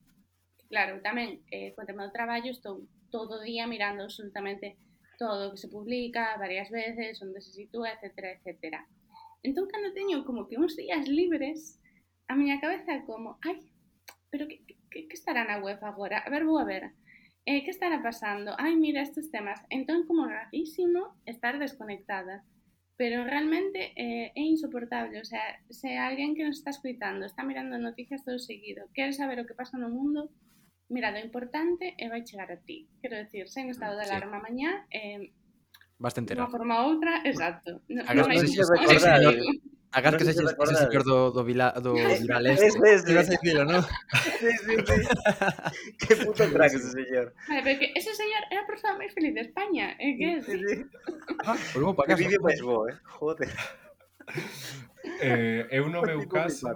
Claro, tamén, eh, co tema do traballo, estou todo o día mirando absolutamente todo o que se publica varias veces, onde se sitúa, etcétera, etcétera. Entón, cando teño como que uns días libres, a miña cabeza como, ai, pero que, que, que estará na web agora? A ver, vou a ver. Eh, que estará pasando? Ai, mira estes temas. Entón, como rarísimo estar desconectada. Pero realmente eh, é insoportable. O sea, se alguén que nos está escuitando está mirando noticias todo seguido, quere saber o que pasa no mundo, mira, lo importante é vai chegar a ti. Quero decir, sen estado de alarma sí. Mañá, eh, vas te enterar. De unha forma ou outra, exacto. No, Agas non sei se recordar. Agas que se ese señor do, do, vila, do Viral Este. Ese, ese. Decirlo, ¿no? Sí, sí, sí. Qué puto crack ese señor. Vale, pero que ese señor é a persona máis feliz de España. É que sí, sí. Ah, volvemos para casa. Que vídeo máis bo, eh? Joder. Eh, eu no meu caso...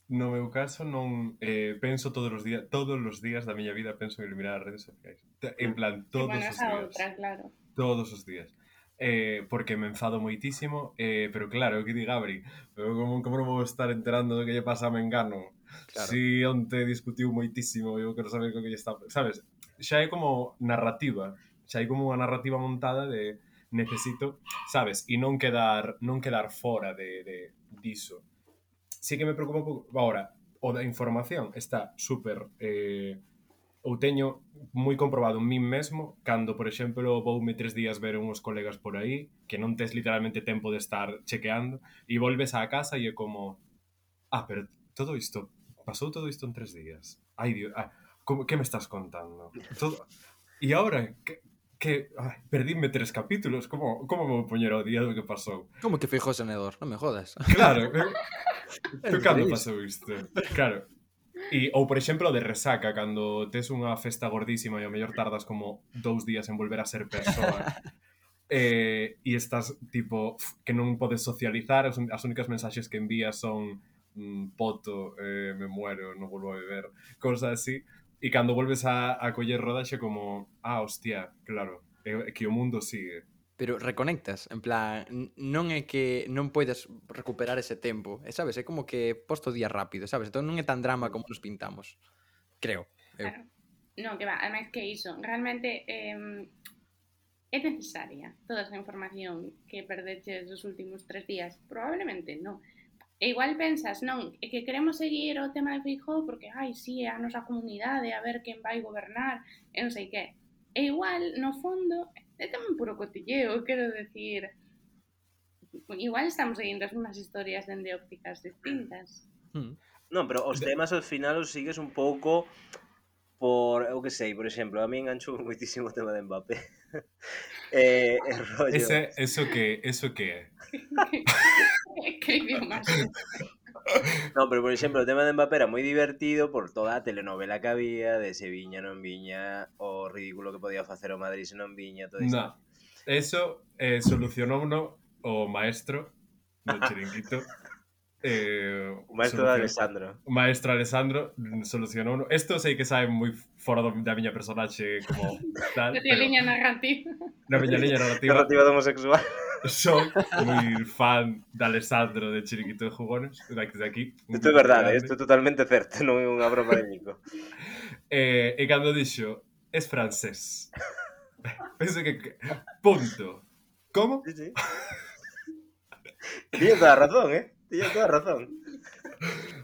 No meu caso non eh, penso todos os días, todos os días da miña vida penso en eliminar as redes sociais. En plan, todos bueno, os días. Outra, claro. Todos os días. Eh, porque me enfado moitísimo, eh, pero claro, o que di Gabri, como, como non vou estar enterando do que lle pasa a Mengano? Claro. Si onte discutiu moitísimo, eu quero saber o que lle está... Sabes? Xa é como narrativa, xa hai como unha narrativa montada de necesito, sabes? E non quedar non quedar fora de, de diso. Sí que me preocupa un pouco. Agora, o da información está super... Eh, ou teño moi comprobado en min mesmo cando, por exemplo, voume tres días ver uns colegas por aí que non tes literalmente tempo de estar chequeando e volves á casa e é como ah, pero todo isto pasou todo isto en tres días ai, Dios, ah, como, que me estás contando? Todo... E agora, que, que ai, perdíme tres capítulos como, como me vou poñer ao día do que pasou? Como que fijou senedor? Non me jodas. Claro, tú cando pasou isto? Claro. E, ou, por exemplo, de resaca, cando tes unha festa gordísima e ao mellor tardas como dous días en volver a ser persoa eh, e estás, tipo, que non podes socializar, as, as únicas mensaxes que envías son mm, poto, eh, me muero, non volvo a beber, cosas así, E cando volves a, a coller rodaxe como, ah, hostia, claro, é, é que o mundo sigue. Pero reconectas, en plan, n- non é que non poidas recuperar ese tempo, e sabes, é como que posto día rápido, sabes? Entón non é tan drama como nos pintamos, creo, eu. Claro. Non, que va, ademais que iso, realmente eh, é necesaria toda esa información que perdeches os últimos tres días? Probablemente non. E igual pensas, non, é que queremos seguir o tema de Feijóo porque, ai, sí, é a nosa comunidade, a ver quen vai gobernar, e non sei que. E igual, no fondo, é tamén puro cotilleo, quero decir, igual estamos seguindo as mesmas historias dende ópticas distintas. Mm. Non, pero os temas ao final os sigues un pouco por, eu que sei, por exemplo, a mí enganchou moitísimo o tema de Mbappé. eh, e rollo... Ese, eso que, eso que é? Que idiomas? Non, pero por exemplo, o tema de Mbappé era moi divertido por toda a telenovela que había, de se viña, non viña, o ridículo que podía facer o Madrid se non viña, todo isto. No, eso eh, solucionouno o maestro do chiringuito. Eh, O maestro de solucion- Alessandro. O maestro Alessandro solucionou. Isto sei que sabe moi fora do, da miña personaxe como tal, Da tia pero liña narrativa. na miña liña narrativa Narrativa do homosexual. son moi fan de Alessandro de Chiringuito de Jugones, desde aquí. un Isto é beso verdade, grande. isto é totalmente certo, non é unha broma de Nico. Eh, e cando dixo, es francés. Penso que... que- Punto. Como? Sí, sí. Tiña toda a razón, eh? Tiña toda a razón.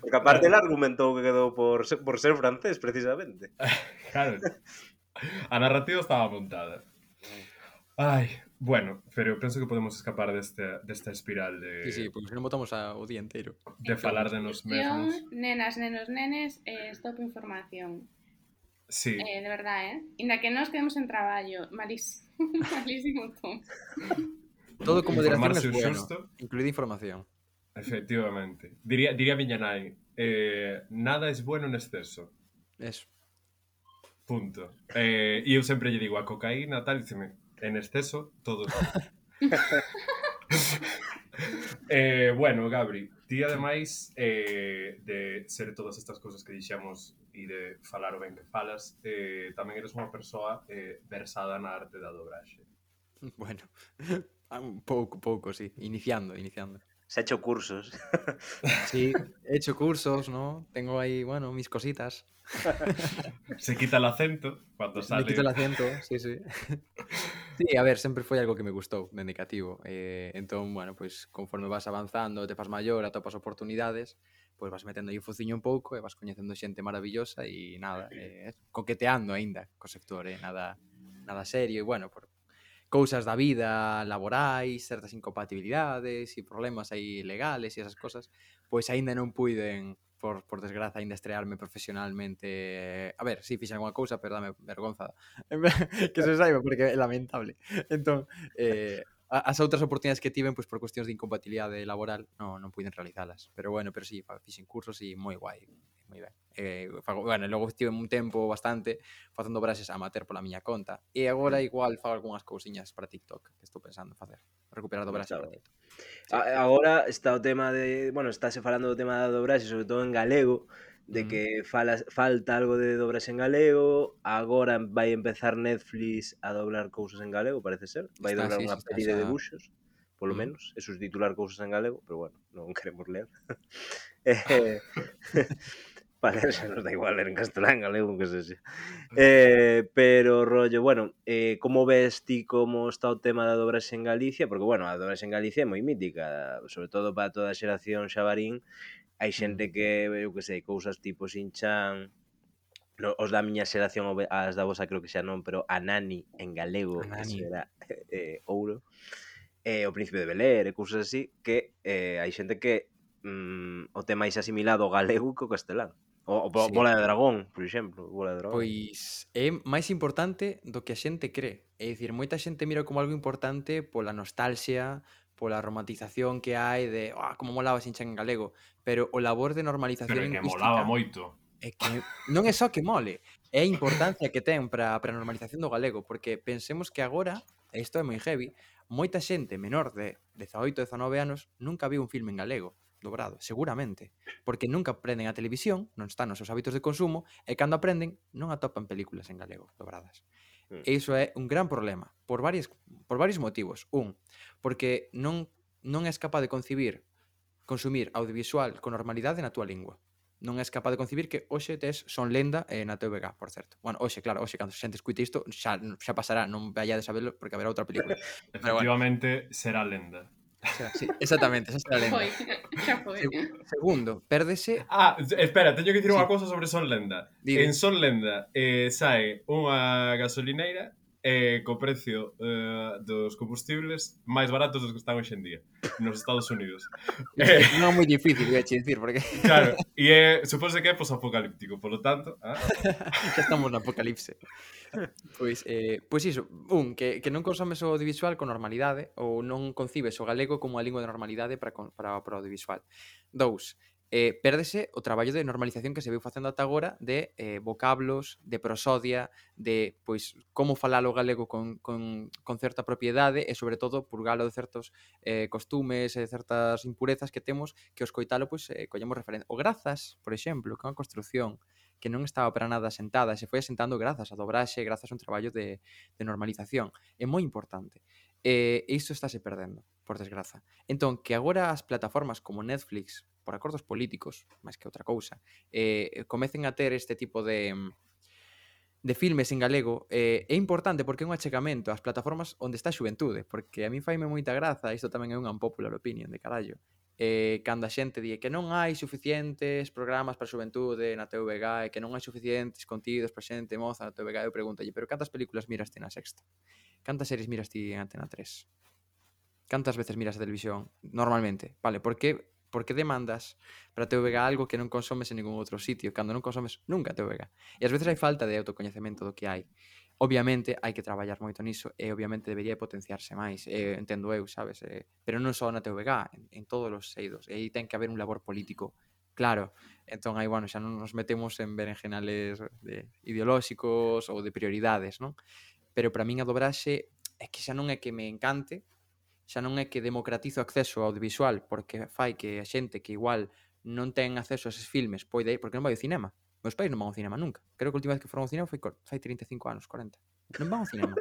Porque aparte ele argumentou que quedou por ser, por ser francés, precisamente. Claro. A narrativa estaba montada. Ai, bueno, pero eu penso que podemos escapar deste, desta espiral de, Sí, sí, porque se non botamos a, o día inteiro. de falar de nos mesmos. Nenas, nenos, nenes, eh, stop información. Sí, Eh, de verdade, eh? Inda que nos quedemos en traballo, malísimo, malísimo todo. Todo con moderación informarse es o bueno, xusto. incluída información. efectivamente. Diría, diría miña nai, eh, nada es bueno en exceso. Eso. Punto. Eh, e eu sempre lle digo a cocaína, tal, diceme, en exceso, todo es malo. eh, bueno, Gabri, ti ademais eh, de ser todas estas cousas que dixemos e de falar o ben que falas, eh, tamén eres unha persoa eh, versada na arte da dobraxe. Bueno, un pouco, pouco, sí. Iniciando, iniciando. Se ha hecho cursos. Sí, he hecho cursos, ¿no? Tengo ahí, bueno, mis cositas. Se quita el acento cando Me sale... quito el acento, sí, sí. Sí, a ver, sempre foi algo que me gustou, dende cativo. Eh, entón, bueno, pois, conforme vas avanzando, te fas maior, atopas oportunidades, pois vas metendo aí o fociño un pouco e vas coñecendo xente maravillosa e nada, eh, coqueteando aínda co sector, eh, nada, nada serio, e bueno, por cousas da vida laborais, certas incompatibilidades e problemas aí legales e esas cosas, pois aínda non puiden, por, por desgraza, aínda estrearme profesionalmente. A ver, si, sí, fixen alguna cousa, pero dame vergonza que se saiba, porque é lamentable. Entón, eh, as outras oportunidades que tiven, pois por cuestións de incompatibilidade laboral, non, non puiden realizalas. Pero bueno, pero si, sí, fixen cursos e moi guai, moi ben. Eh, fago, bueno, logo estive un tempo bastante facendo brases amateur pola miña conta. E agora igual fago algunhas cousiñas para TikTok que estou pensando en facer. Recuperar dobraxe para TikTok. Sí. Agora está o tema de, bueno, estáse falando do tema da dobraxe, sobre todo en galego, de que falas, falta algo de dobraxe en galego. Agora vai empezar Netflix a doblar cousas en galego, parece ser. Vai Está, doblar sí, unha sí, está peli xa... de debuxos, polo Mm. menos, e subtitular cousas en galego, pero bueno, non queremos ler. eh, Vale, xa nos da igual ler en castelán, galego, que sexa. Eh, pero, rollo, bueno, eh, como ves ti como está o tema da dobraxe en Galicia? Porque, bueno, a dobraxe en Galicia é moi mítica, sobre todo para toda a xeración xabarín. Hai xente que, eu que sei, cousas tipo Shin-Chan, no, os da miña xeración, as da vosa creo que xa non, pero a Nani en galego, A eso Nani. era eh, ouro. Eh, o Príncipe de Bel-Air e cousas así, que eh, hai xente que mm, o tema máis asimilado ao galego que o castelán. O, o Sí. Bola de Dragón, por exemplo, Bola de Dragón. Pois é máis importante do que a xente cree. É dicir, moita xente mira como algo importante pola nostalgia, pola romantización que hai de oh, como molaba Shin-Chan en galego, pero o labor de normalización Pero é que lingüística molaba moito. é que non é só que mole, é a importancia que ten para a normalización do galego, porque pensemos que agora, e isto é moi heavy, moita xente menor de dezaoito, dezanove anos nunca viu un filme en galego. dobrado, seguramente, porque nunca aprenden a televisión, non están nos seus hábitos de consumo, e cando aprenden non atopan películas en galego dobradas. Mm. E iso é un gran problema, por varios, por varios motivos. Un, porque non, non és capaz de concibir consumir audiovisual con normalidade na túa lingua. Non és capaz de concibir que hoxe tes Son Lenda eh, na T V G, por certo. Bueno, hoxe, claro, hoxe, cando a xente escuite isto, xa, xa pasará, non vayades a verlo porque haberá outra película. Pero bueno, Efectivamente, será lenda. xa, sí, exactamente, esa será a lenda. Foi, xa foi. Segu- segundo, pérdese... Ah, espera, teño que dicir Sí. unha cousa sobre Son Lenda. Di, di. En Son Lenda eh, sae unha gasolineira eh, co precio eh, dos combustibles máis baratos dos que están hoxe en día nos Estados Unidos. Eh, Non é moi difícil, voy a che dicir, porque claro, e é, supose que é posapocalíptico, polo tanto, ah, xa estamos no apocalipse. Pois, eh, pois iso, un, que, que non consomes o audiovisual con normalidade ou non concibes o galego como a lingua de normalidade para, con- para, para o audiovisual. Dous, eh, pérdese o traballo de normalización que se veu facendo ata agora de eh, vocablos, de prosodia, de pois como falalo o galego con, con, con certa propiedade e sobre todo purgalo de certos eh, costumes e certas impurezas que temos que os coitalo pois eh, collemos referencia. O grazas, por exemplo, que é unha construción que non estaba para nada asentada, se foi asentando grazas a dobraxe, grazas a un traballo de, de normalización. É moi importante. E isto estáse perdendo, por desgraza. Entón, que agora as plataformas como Netflix, por acordos políticos, máis que outra cousa, eh, comecen a ter este tipo de de filmes en galego, eh, é importante porque é un achegamento ás plataformas onde está a xuventude, porque a mí faime moita graza, isto tamén é unha unpopular opinion de carallo, eh, cando a xente di que non hai suficientes programas para a xuventude na T V G e que non hai suficientes contidos para xente moza na T V G, eu pregunto, pero cantas películas miras ti na Sexta? Cantas series miras ti en Antena tres? Cantas veces miras a televisión normalmente? Vale, por que por que demandas para a T V G algo que non consomes en ningún outro sitio, cando non consomes nunca a T V G? E ás veces hai falta de autocoñecemento do que hai. Obviamente hai que traballar moito niso e obviamente debería potenciarse máis, eh, entendo eu, sabes? Eh, pero non só na T V G, en, en todos os eidos. E aí ten que haber un labor político claro. Entón aí, bueno, xa non nos metemos en berenjenales de ideolóxicos ou de prioridades, non? Pero para min a dobraxe é que xa non é que me encante, xa non é que democratizo o acceso ao audiovisual porque fai que a xente que igual non ten acceso a eses filmes poida ir, porque non vai ao cinema. Meus pais non van ao cinema nunca. Creo que a última vez que foron ao cinema foi cor- fai trinta e cinco anos, corenta. Non van ao cinema.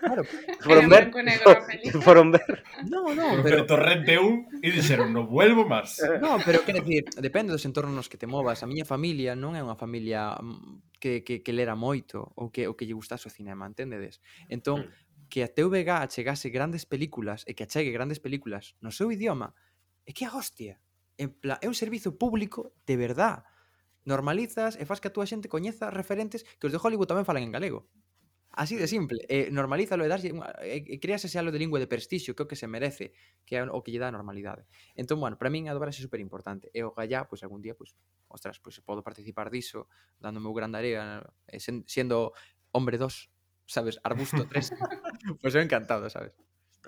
Claro. Foron Era ver? branco e negro a peli. Foron ver? No, no, pero pero Torrente un e dixeron, non vuelvo máis. no, pero quero dicir, depende dos entornos nos que te movas. A miña familia non é unha familia mm, que, que, que lera moito ou que, ou que lle gustase o cinema, entendedes? Entón, que a T V G achegase grandes películas e que achegue grandes películas no seu idioma, é que a hostia. En plan, é un servizo público de verdad. Normalizas e faz que a túa xente coñeza referentes que os de Hollywood tamén falan en galego. Así de simple. E normalízalo e darlle unha, e, e creas ese halo de lingua de prestixio que é o que se merece, que é o que lle dá a normalidade. Entón, bueno, para min a dobraxe é super importante. E o gallá, pois algún día, pois, ostras, pois podo participar diso, dando o meu gran area, e sen, sendo hombre dos, sabes, arbusto tres. Pois eu encantado, sabes?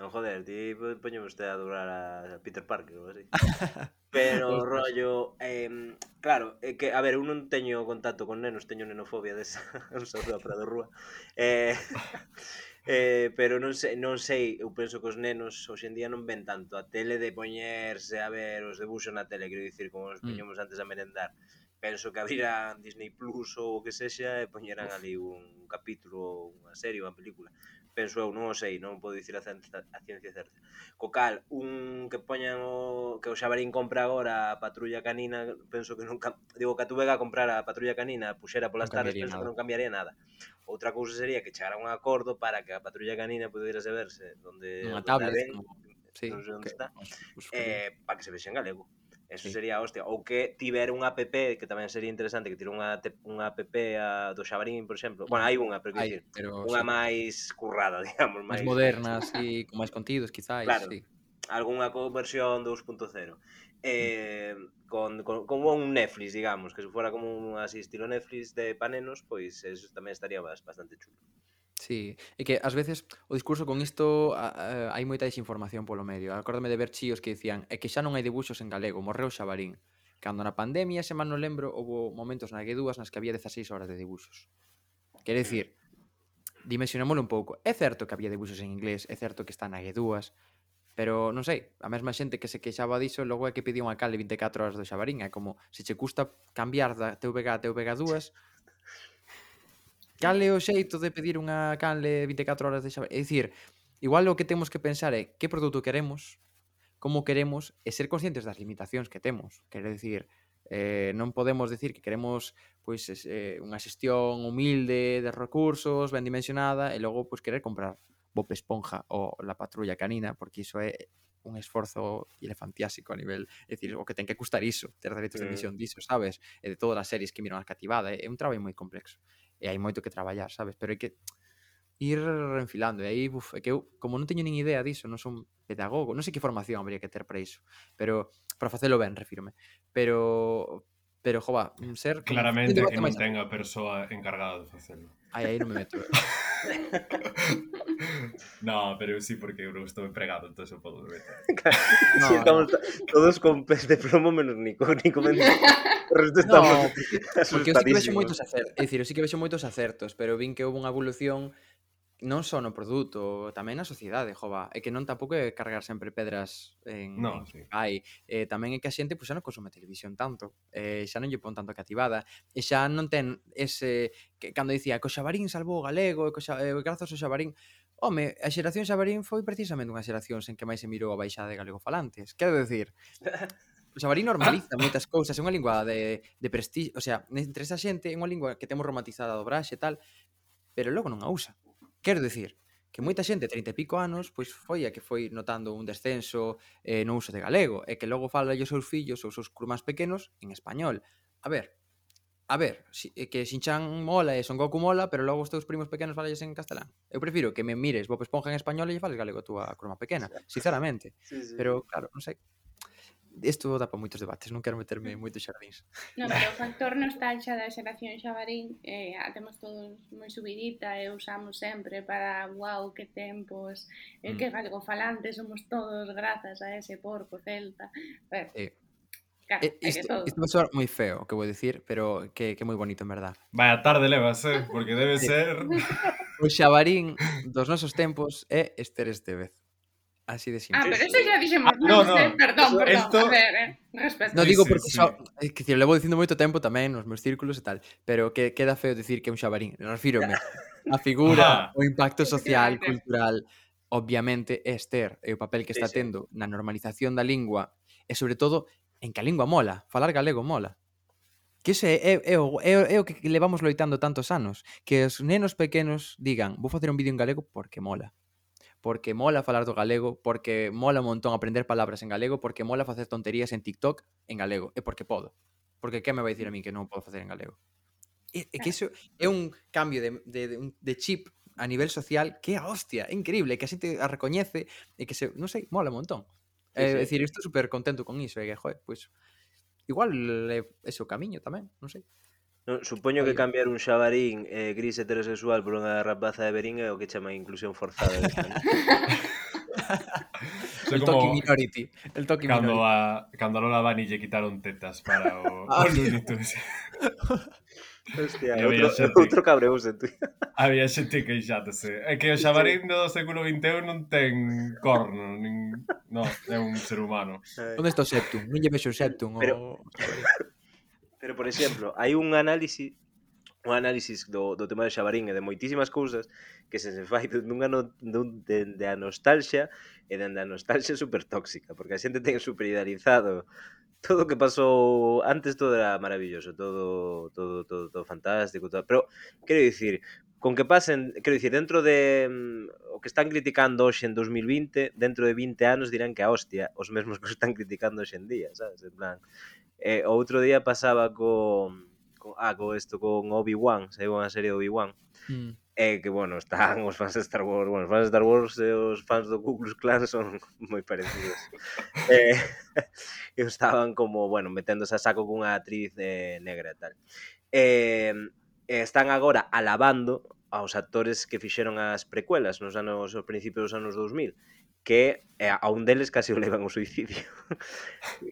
No, joder, ti poñeme usted a doblar a Peter Parker ou así. Pero, Ostras. rollo, eh, claro, é que, a ver, eu non teño contacto con nenos, teño nenofobia desa, un saúdo a Prado Rúa. Eh, eh, pero non sei, non sei, eu penso que os nenos hoxe en día non ven tanto a tele de poñerse a ver os debuxos na tele, quero dicir, como os Mm. poñemos antes a merendar. Penso que abriran Disney Plus ou o que sexa e poñeran ali un capítulo, unha serie, unha película. Penso eu, non o sei, non podo dicir a, ciencia, a ciencia certa. Co cal, un que poñan o que o Xabarín compra agora a Patrulla Canina, penso que nunca, digo que a Tuvega comprar a Patrulla Canina, puxera polas Non tardes, cambiaría penso nada. que non cambiaría nada. Outra cousa sería que chegara un acordo para que a Patrulla Canina poderase verse donde, Unha donde a tablet, ven, como... Sí, non sei onde que, está, os, os eh, para que se vexe en galego. Eso Sí. sería a hostia. Ou que tiver unha app, que tamén sería interesante, que tire unha, te- unha app a, do Xabarín, por exemplo. Bueno, hai unha, pero que Hai, dicir, pero unha sí. máis currada, digamos, máis máis modernas e con máis contidos, quizáis, Claro. sí. algunha versión dos punto cero. Eh, con, con, como un Netflix, digamos, que se fora como un así estilo Netflix de panenos, pois eso tamén estaría bastante chulo. Sí, e que ás veces o discurso con isto a, a, hai moita desinformación polo medio. Acórdame de ver chíos que dicían é que xa non hai debuxos en galego, morreu Xabarín. Cando na pandemia, se mal non lembro, houve momentos na G dúas nas que había dezaseis horas de debuxos. Quere dicir, dimensionémoslo un pouco. É certo que había debuxos en inglés, é certo que está na G dúas, Pero non sei, a mesma xente que se queixaba diso logo é que pedía unha canle vinte e catro horas do Xabarín. É como, se che custa cambiar da T V G a T V G dúas, cal é o xeito de pedir unha canle vinte e catro horas de Xabarín? É dicir, igual o que temos que pensar é que produto queremos, como queremos e ser conscientes das limitacións que temos. Quero dicir, eh, non podemos decir que queremos pois eh, unha xestión humilde de recursos, ben dimensionada, e logo pois querer comprar Bob Esponja ou La Patrulla Canina, porque iso é un esforzo elefantiásico a nivel, é dicir, o que ten que custar iso, ter dereitos de Mm. emisión diso, sabes? E de todas as series que miran a cativada, é un traballo moi complexo. E hai moito que traballar, sabes? Pero hai que ir enfilando. E aí, uf, é que eu, como non teño nin idea diso, non son pedagogo, non sei que formación habría que ter para iso, pero para facelo ben, refírome. Pero, pero, jova, ser como un Claramente debate que non máis ten aberto. a persoa encargada de facelo. Ai, aí non me meto. No, pero sí, porque eu non estou empregado, entón eu podo meter. No, Sí, estamos no. to- todos con pez de plomo menos Nico. Nico menos... O resto estamos No, porque, porque eu sí que vexo asustadísimos. moitos acertos. É dicir, eu sí que vexo moitos acertos, pero vin que houve unha evolución non só no produto, tamén na sociedade, jova. É que non tampouco é cargar sempre pedras en, No, en sí. Ai. Eh, tamén é que a xente pois, xa non consume televisión tanto. Eh, xa non lle pon tanto cativada. E xa non ten ese... Que, cando dicía que o Xabarín salvou o galego, e que o xa, eh, grazas ao Xabarín... Home, a xeración Xabarín foi precisamente unha xeración en que máis se mirou a baixada de galegofalantes. Quero decir, o Xabarín normaliza moitas cousas, é unha lingua de, de prestigio, o sea, entre esa xente é unha lingua que temos romantizada a dobraxe e tal, pero logo non a usa. Quero dicir, que moita xente, trinta e pico anos, pois foi a que foi notando un descenso eh, no uso de galego, e que logo fala os seus fillos ou os seus curmáns pequenos en español. A ver, a ver, si, eh, que Shin-chan mola e Son Goku mola, pero logo os teus primos pequenos falalles en castelán. Eu prefiro que me mires Bob Esponja en español e lle fales galego a túa curma pequena, sinceramente. Sí, sí, Pero, claro, non sei. Isto dá para moitos debates, non quero meterme en moitos xardíns. Non, pero o factor nostalgia da xeración Xabarín eh, a temos todos moi subidita e usamos sempre para wow, que tempos, eh, Mm. que galegofalantes somos todos grazas a ese porco celta. Bueno, Eh, claro, eh, hai de isto, todo. isto vai soar moi feo, o que vou dicir, pero que, que moi bonito, en verdad. Vaya tarde levas, eh? Porque debe Sí. ser... O Xabarín dos nosos tempos é Esther Estevez. Así de Ah, simple. pero eso xa dixemos, Ah, no, non, no. eh, perdón, Eso- perdón, esto- a ver, eh, respeto. No Sí, digo sí, porque sí. só, é que decir, levo dicindo moito tempo tamén nos meus círculos e tal, pero que queda feo dicir que é un xabarín. Refírome a figura, Ajá. o impacto social, Efectivamente. cultural, obviamente é Esther, e o papel que Sí, está sí. tendo na normalización da lingua e sobre todo en que a lingua mola, falar galego mola. Que ese é, é, o, é, o- é o que levamos loitando tantos anos, que os nenos pequenos digan, vou facer un vídeo en galego porque mola. Porque mola falar do galego, porque mola un montón aprender palabras en galego, porque mola facer tonterías en TikTok en galego, e porque podo. Porque que me vai dicir a min que non podo facer en galego? É, é que iso é un cambio de, de, de, un- de chip a nivel social que é a hostia, é increíble, que a xente a recoñece e que se, non sei, mola un montón. Sí, É sí. dicir, estou super contento con iso, e que, joder, pois igual é ese o camiño tamén, non sei. Non, supoño que Aí. cambiar un xabarín eh, gris heterosexual por unha rapaza de Berín é o que chama inclusión forzada. Eso El como toque minority, el toque cando minority. a, cando a Lola Bunny lle quitaron tetas para o, Ah, o Looney Tunes. Hostia, E outro, había xente- outro cabreuse, tú. Había xente queixándose. É que o xabarín do século vinte e un non ten corno, nin... No, é un ser humano. Onde está o septum? Non lle vexo o septum. Pero- o... Pero, por exemplo, hai un análisis un análisis do, do tema do xabarín e de moitísimas cousas que se se fai dunha no, dun, de, de a nostalgia e dende a nostalgia super tóxica, porque a xente ten super idealizado todo o que pasou antes, todo era maravilloso, todo todo todo, todo fantástico, todo, pero quero dicir, con que pasen, quero dicir, dentro de mm, o que están criticando hoxe en dos mil vinte, dentro de vinte anos dirán que a hostia, os mesmos que os están criticando hoxe en día, sabes? En plan, eh, o outro día pasaba con con, ah, con isto, con Obi-Wan, saiu unha serie de Obi-Wan, Mm. e que, bueno, están os fans de Star Wars, bueno, os fans de Star Wars e os fans do Ku Klux Klan son moi parecidos. eh, e estaban como, bueno, meténdose a saco cunha actriz eh, negra e tal. E, e están agora alabando aos actores que fixeron as precuelas nos anos, aos principios dos anos dous mil, que eh, a un deles casi o levan ao suicidio.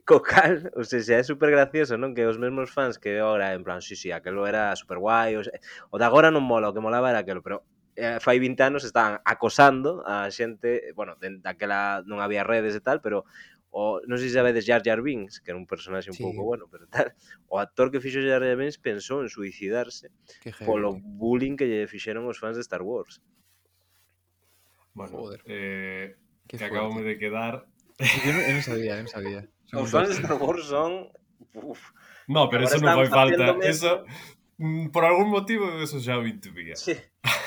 Co cal, o sea, xa é super gracioso, non? Que os mesmos fans que agora, en plan, sí, sí, aquelo era super guai, o, sea, o de agora non mola, o que molaba era aquelo, pero eh, fai vinte anos estaban acosando a xente, bueno, daquela non había redes e tal, pero o, non sei se sabedes Jar Jar Binks, que era un personaxe un Sí, pouco bueno, pero tal, o actor que fixo Jar Jar Binks pensou en suicidarse que heavy, polo tío. bullying que lle fixeron os fans de Star Wars. Bueno, Joder, eh, que que fuerte. acabamos de quedar... Eu non, eu non sabía, eu non sabía. Son Os un fans de dos. Star Wars son... Uf, No, pero agora eso non están fai facendo falta. mesmo... Eso, mm, por algún motivo, eso xa o intuía. Sí,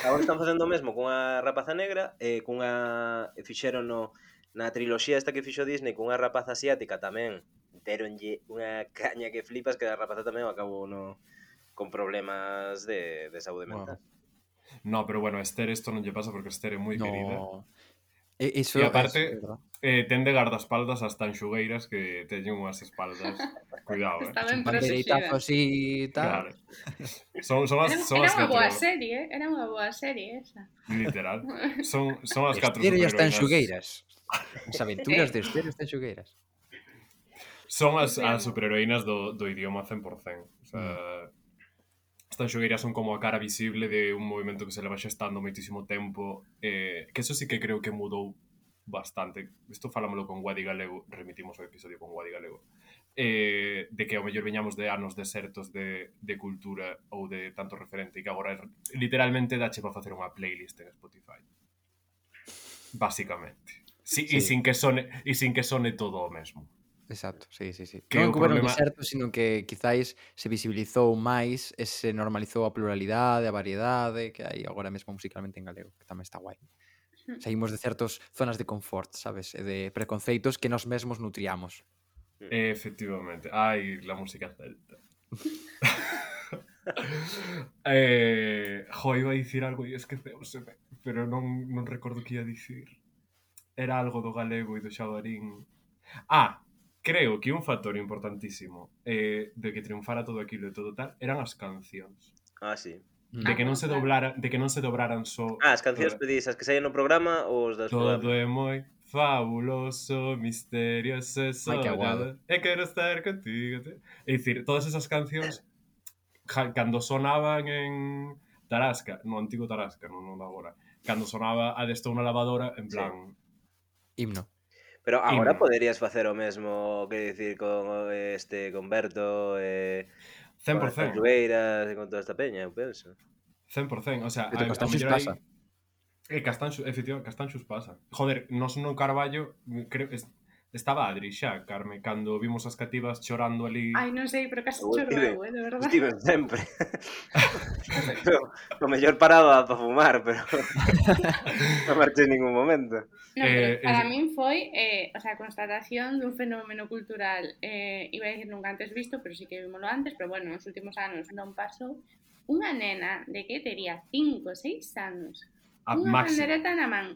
agora están facendo o mesmo cunha rapaza negra e cunha... fixeron no, na triloxía esta que fixo Disney cunha rapaza asiática tamén deronlle unha caña que flipas que a rapaza tamén acabou no, con problemas de, de saúde mental. Wow. No, pero bueno, a Esther isto non lle pasa porque Esther é moi querida. No. E, iso E é aparte, verdad. eh, ten de guardaespaldas as tanxugueiras que teñen unhas espaldas. Cuidado, eh. Está Un ben pandereitazo protegida. así e tal. Claro. Son, son as, Era, son era as unha boa catro... serie, eh? Era unha boa serie esa. Literal. Son, son as catro Esther e as superheroínas... tanxugueiras. As aventuras de Esther e as tanxugueiras. Son as, as Confirmo. superheroínas do, do idioma cen por cento. O sea, as tanxugueiras son como a cara visible de un movimento que se leva xestando moitísimo tempo, eh, que eso sí que creo que mudou bastante. Isto falámoslo con Guadi Galego, remitimos o episodio con Guadi Galego, eh, de que ao mellor veñamos de anos desertos de, de cultura ou de tanto referente e que agora literalmente dache para facer unha playlist en Spotify. Básicamente. Si, Sí. E sin que sone, e sin que sone todo o mesmo. Exacto, sí, sí, sí. Que Non o que houbera un problema- deserto, sino que quizáis se visibilizou máis e se normalizou a pluralidade, a variedade que hai agora mesmo musicalmente en galego, que tamén está guai. Saímos de certas zonas de confort, sabes? E de preconceitos que nós mesmos nutriamos. Efectivamente. Ai, la música celta. eh, jo, iba a dicir algo e esqueceuseme, pero non, non recordo que ia dicir. Era algo do galego e do xabarín. Ah, creo que un factor importantísimo eh, de que triunfara todo aquilo e todo tal eran as cancións. Ah, sí. Mm. De que non Ah, se claro. doblara, de que non se dobraran só Ah, as cancións pedís, as que saían no programa ou os das todo programas? é moi fabuloso, misterioso e Ai, que aguado. soñado. E quero estar contigo. É dicir, todas esas cancións ja, cando sonaban en Tarasca, no antigo Tarasca, non, non agora, cando sonaba a de estou na lavadora, en plan, Himno. Pero agora Himno. poderías facer o mesmo, que dicir, con este con Berto, eh, cen con por as cento. Tanxugueiras e con toda esta peña, eu penso. cen por cento, o sea, Pero a, a Castanxos mellor pasa. aí... Eh, Castanxos, efectivamente, Castanxos pasa. Joder, nos no Carballo, creo, es, estaba Adri xa, Carme, cando vimos as cativas chorando ali... Ai, non sei, pero casi Eu choro estive, eu, eh, de verdade. estive sempre. Pero, o mellor paraba para fumar, pero non marchei en ningún momento. Non, pero Eh, para es- min foi eh, o sea, a constatación dun fenómeno cultural eh, iba a dicir nunca antes visto, pero sí que vimoslo antes, pero bueno, nos últimos anos non pasou. Unha nena de que tería cinco, seis anos, A unha máxima. pandereta na man,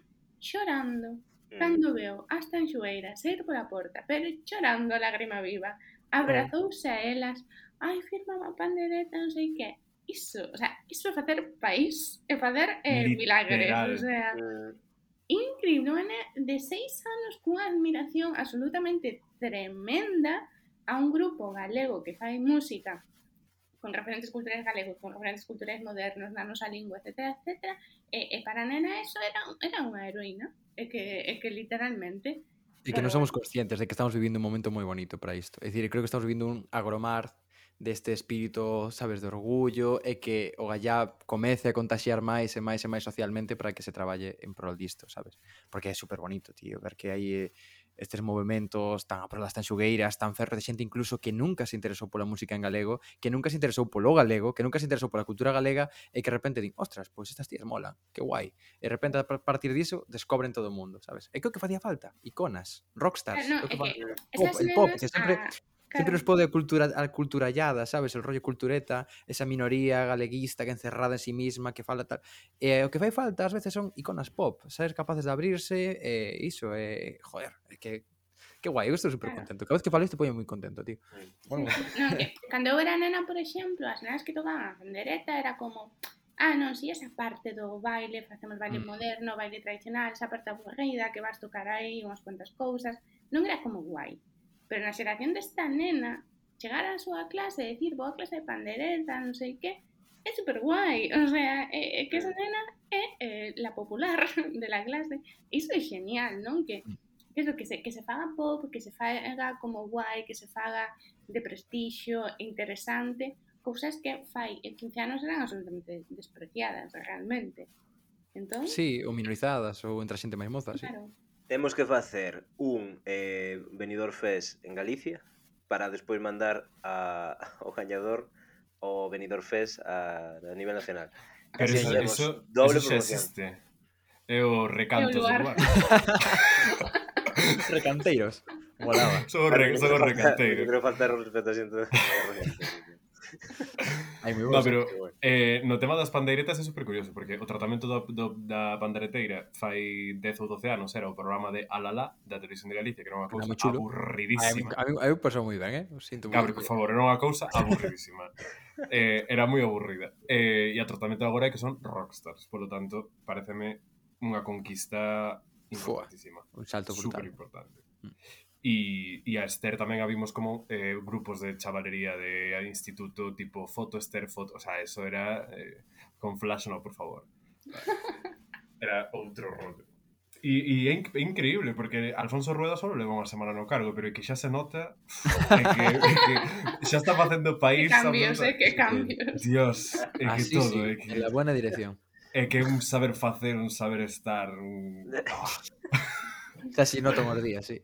chorando, Mm. cando veo as tanxugueiras sair pola porta, pero chorando a lágrima viva, abrazouse a elas, ai, firma a pandereta, non sei que. Iso, o sea, iso é facer país, é facer eh, milagres, Literal. o sea, Mm. increíble, unha nena de seis anos cunha admiración absolutamente tremenda a un grupo galego que fai música con referentes culturais galegos, con referentes culturais modernos na nosa lingua, etcétera, etcétera, e, e para a nena eso era, era unha heroína, e que, e que literalmente... E que non somos conscientes de que estamos vivindo un momento moi bonito para isto. É dicir, creo que estamos vivindo un agromar deste espírito, sabes, de orgullo e que o gallá comece a contaxiar máis e máis e máis socialmente para que se traballe en prol disto, sabes? Porque é super bonito, tío, ver que hai eh, estes movimentos tan a prol das tanxugueiras, tan ferro de xente incluso que nunca se interesou pola música en galego, que nunca se interesou polo galego, que nunca se interesou pola cultura galega e que de repente din, ostras, pois estas tías molan, que guai. E de repente a partir diso descobren todo o mundo, sabes? E que o que facía falta? Iconas, rockstars, No, é o que é fa... que pop, esas el pop, nenas... que sempre... a- Sempre claro. nos pode a cultura a culturallada, sabes? El rollo cultureta, esa minoría galeguista que encerrada en sí misma, que fala tal. E o que fai falta ás veces son iconas pop, sabes? Capaces de abrirse, e iso, e joder, é que que guai, eu estou super Claro. contento. Cada vez que falo isto poño moi contento, tío. Bueno, Non, que cando eu era nena, por exemplo, as nenas que tocaban a pandereta era como, ah, non, si esa parte do baile, facemos baile Mm. moderno, baile tradicional, esa parte aburrida, que vas tocar aí unhas cuantas cousas, non era como guai. Pero na xeración desta nena, chegar á súa clase e dicir, vou a clase de pandereta, non sei que, é super guai, o sea, é, é que esa nena é eh, la popular de la clase. Iso é genial, non? Que, que, eso, que, se, que se faga pop, que se faga como guai, que se faga de prestixio, interesante, cousas que fai en quince anos eran absolutamente despreciadas, realmente. Entón, Sí, ou minorizadas, ou entre a xente máis moza, sí. claro. Temos que facer un eh, Benidorm Fest en Galicia para despois mandar a, ao gañador o Benidorm Fest a, a nivel nacional. Pero Así eso, temos eso, doble eso xa promoción. existe. É o recantos do lugar. lugar. Recanteiros. Molaba. Son os re, son os recanteiros. Eu creo faltar o respeto a xente. Hai moi No, bons. pero eh, no tema das pandeiretas é super curioso, porque o tratamento do, do, da pandeireteira fai dez ou doce anos era o programa de Alala da Televisión de Galicia, que era unha cousa moi chulo. aburridísima. A mí, a mí pasou moi ben, eh? O sinto Gabri, moito. por favor, era unha cousa aburridísima. eh, era moi aburrida. Eh, e o tratamento agora é que son rockstars, polo tanto, pareceme unha conquista importantísima. Un salto Super brutal. importante. Mm. E, e a Esther tamén a vimos como eh, grupos de chavalería de instituto, tipo foto Esther, foto, o sea, eso era eh, con flash no, por favor. Era outro rollo. E, e é, inc é increíble, porque Alfonso Rueda só leva unha semana no cargo, pero é que xa se nota é que, é que xa está facendo país. Que cambios, eh, que cambios. Dios, é que Así todo, sí, é que, en la buena dirección. é que un saber facer, un saber estar, un... Oh. Xa si noto os días, sí.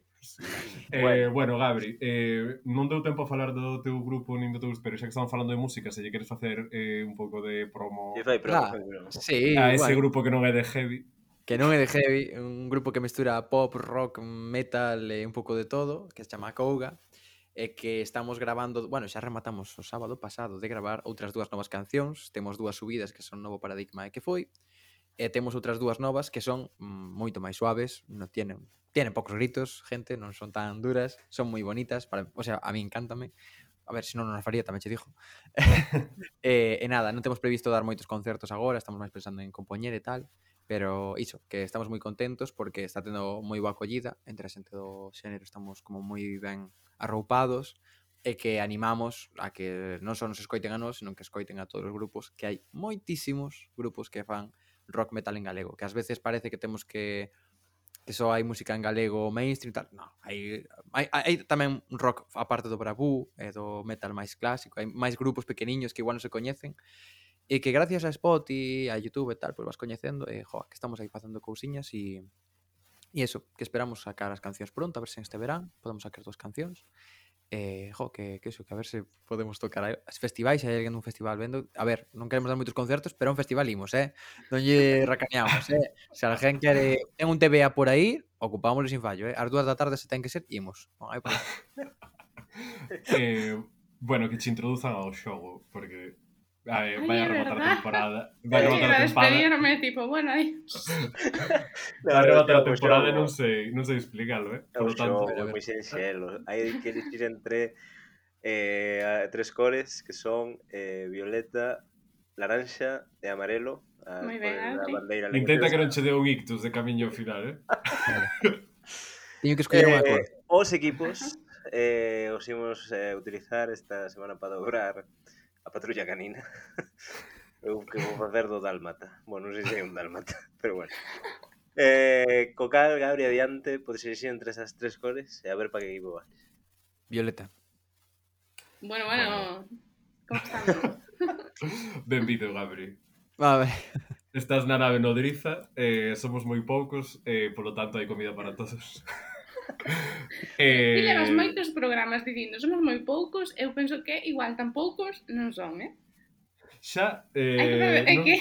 Eh, bueno. bueno, Gabri, eh, non deu tempo a falar do teu grupo nin do teu, pero xa que estamos falando de música, se lle queres facer eh, un pouco de promo E fai promo, Ah, fai promo. sí, a ese bueno, grupo que non é de heavy. que non é de heavy, un grupo que mestura pop, rock, metal e un pouco de todo, que se chama Couga, e que estamos grabando, bueno, xa rematamos o sábado pasado de gravar outras dúas novas cancións, temos dúas subidas que son Novo Paradigma e Que Foi, e temos outras dúas novas que son mm, moito máis suaves, non tienen tienen poucos gritos, gente, non son tan duras, son moi bonitas, para, o sea, a mí encántame. A ver, se non non as faría, tamén che dixo. e, e nada, non temos previsto dar moitos concertos agora, estamos máis pensando en compoñer e tal, pero iso, que estamos moi contentos porque está tendo moi boa acollida entre a xente do xénero, estamos como moi ben arroupados e que animamos a que non só nos escoiten a nós, senón que escoiten a todos os grupos, que hai moitísimos grupos que fan rock metal en galego, que ás veces parece que temos que que só hai música en galego mainstream e tal. Non, hai, hai, hai tamén rock aparte do Bravú e do metal máis clásico, hai máis grupos pequeniños que igual non se coñecen e que gracias a Spotify, a YouTube e tal, pois vas coñecendo e, joa, que estamos aí facendo cousiñas e e eso, que esperamos sacar as cancións pronto, a ver se este verán podemos sacar dúas cancións. Eh, jo, que, que eso, que a ver se podemos tocar as festivais, se hai alguén dun festival vendo, a ver, non queremos dar moitos concertos, pero a un festival imos, eh? Non lle racaneamos, eh? Se alguén quere, ten un T V A por aí, ocupámoslo sin fallo, eh? As dúas da tarde se ten que ser, imos. Non hai problema. eh, bueno, que che introduzan ao xogo, porque Ai, Ai, vai a é rematar a verdad. temporada. Vai a Iba rematar a a temporada. despedirme, tipo, bueno, adiós. Vai a rematar a o temporada e xogo- non sei, non sei explicarlo, eh? É Por o lo tanto, xogo, é moi sinxelo. Hai que elegir entre eh, a- tres cores que son eh, violeta, laranxa e amarelo. As Moi ben, cores da Adri. bandeira intenta que leñosa. non che dé un ictus de camiño ao final, eh? Teño que escoller unha Eh, cor. os equipos eh, os imos eh, utilizar esta semana para dobrar a patrulla canina. Eu que vou facer do dálmata. Bueno, non sei se é un dálmata, pero bueno. Eh, co cal, Gabri, adiante, podes elegir entre esas tres cores e a ver para que equipo vas. Violeta. Bueno, bueno, como estamos? Benvido, Gabri. A ver. Estás na nave nodriza, eh, somos moi poucos, eh, polo tanto hai comida para todos. Eh... Ti levas eh, moitos programas dicindo somos moi poucos, eu penso que igual tan poucos non son, eh? xa, Hai que eh, saber, é non, que...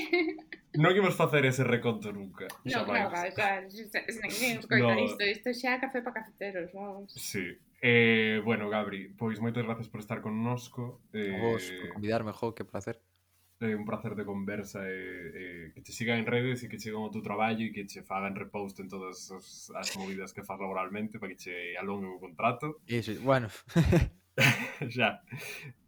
non imos facer ese reconto nunca. No, Xamais. claro, claro, xa, xa, xa, ninguén escoita No. isto, isto xa é café para cafeteros, vamos. Sí. Eh, bueno, Gabri, pois moitas gracias por estar connosco. A vos, Eh, por convidarme, jo, que placer. É un placer de conversa e, e que te sigan en redes e que chegan ao teu traballo e que che fagan repost en todas as, as movidas que faz laboralmente para que che alongue o contrato. Iso, bueno. Xa.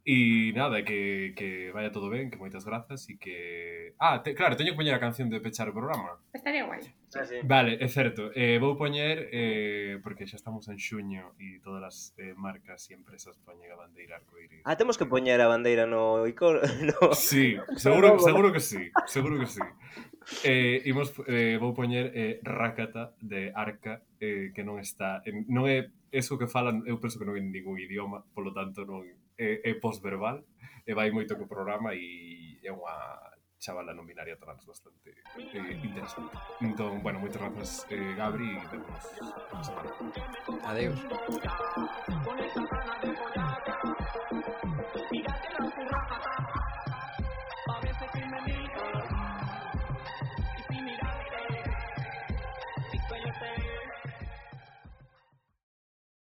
E nada, que, que vaya todo ben, que moitas grazas e que... Ah, te, claro, teño que poñer a canción de pechar o programa. Estaría guai. Ah, sí. Vale, é certo. Eh, vou poñer, eh, porque xa estamos en xuño e todas as eh, marcas e empresas poñen a bandeira arcoíris. Ah, temos que poñer a bandeira no icono. No. Sí, seguro, seguro que sí, seguro que sí. Eh, imos, eh, vou poñer eh, Rakata de Arca, eh, que non está... En, non é eso que falan, eu penso que non é en ningún idioma, polo tanto non é, é postverbal, e vai moito co programa e é unha chavala non binaria trans bastante eh, interesante. Entón, bueno, moitas grazas, eh, Gabri, e vemos a semana. Adeus.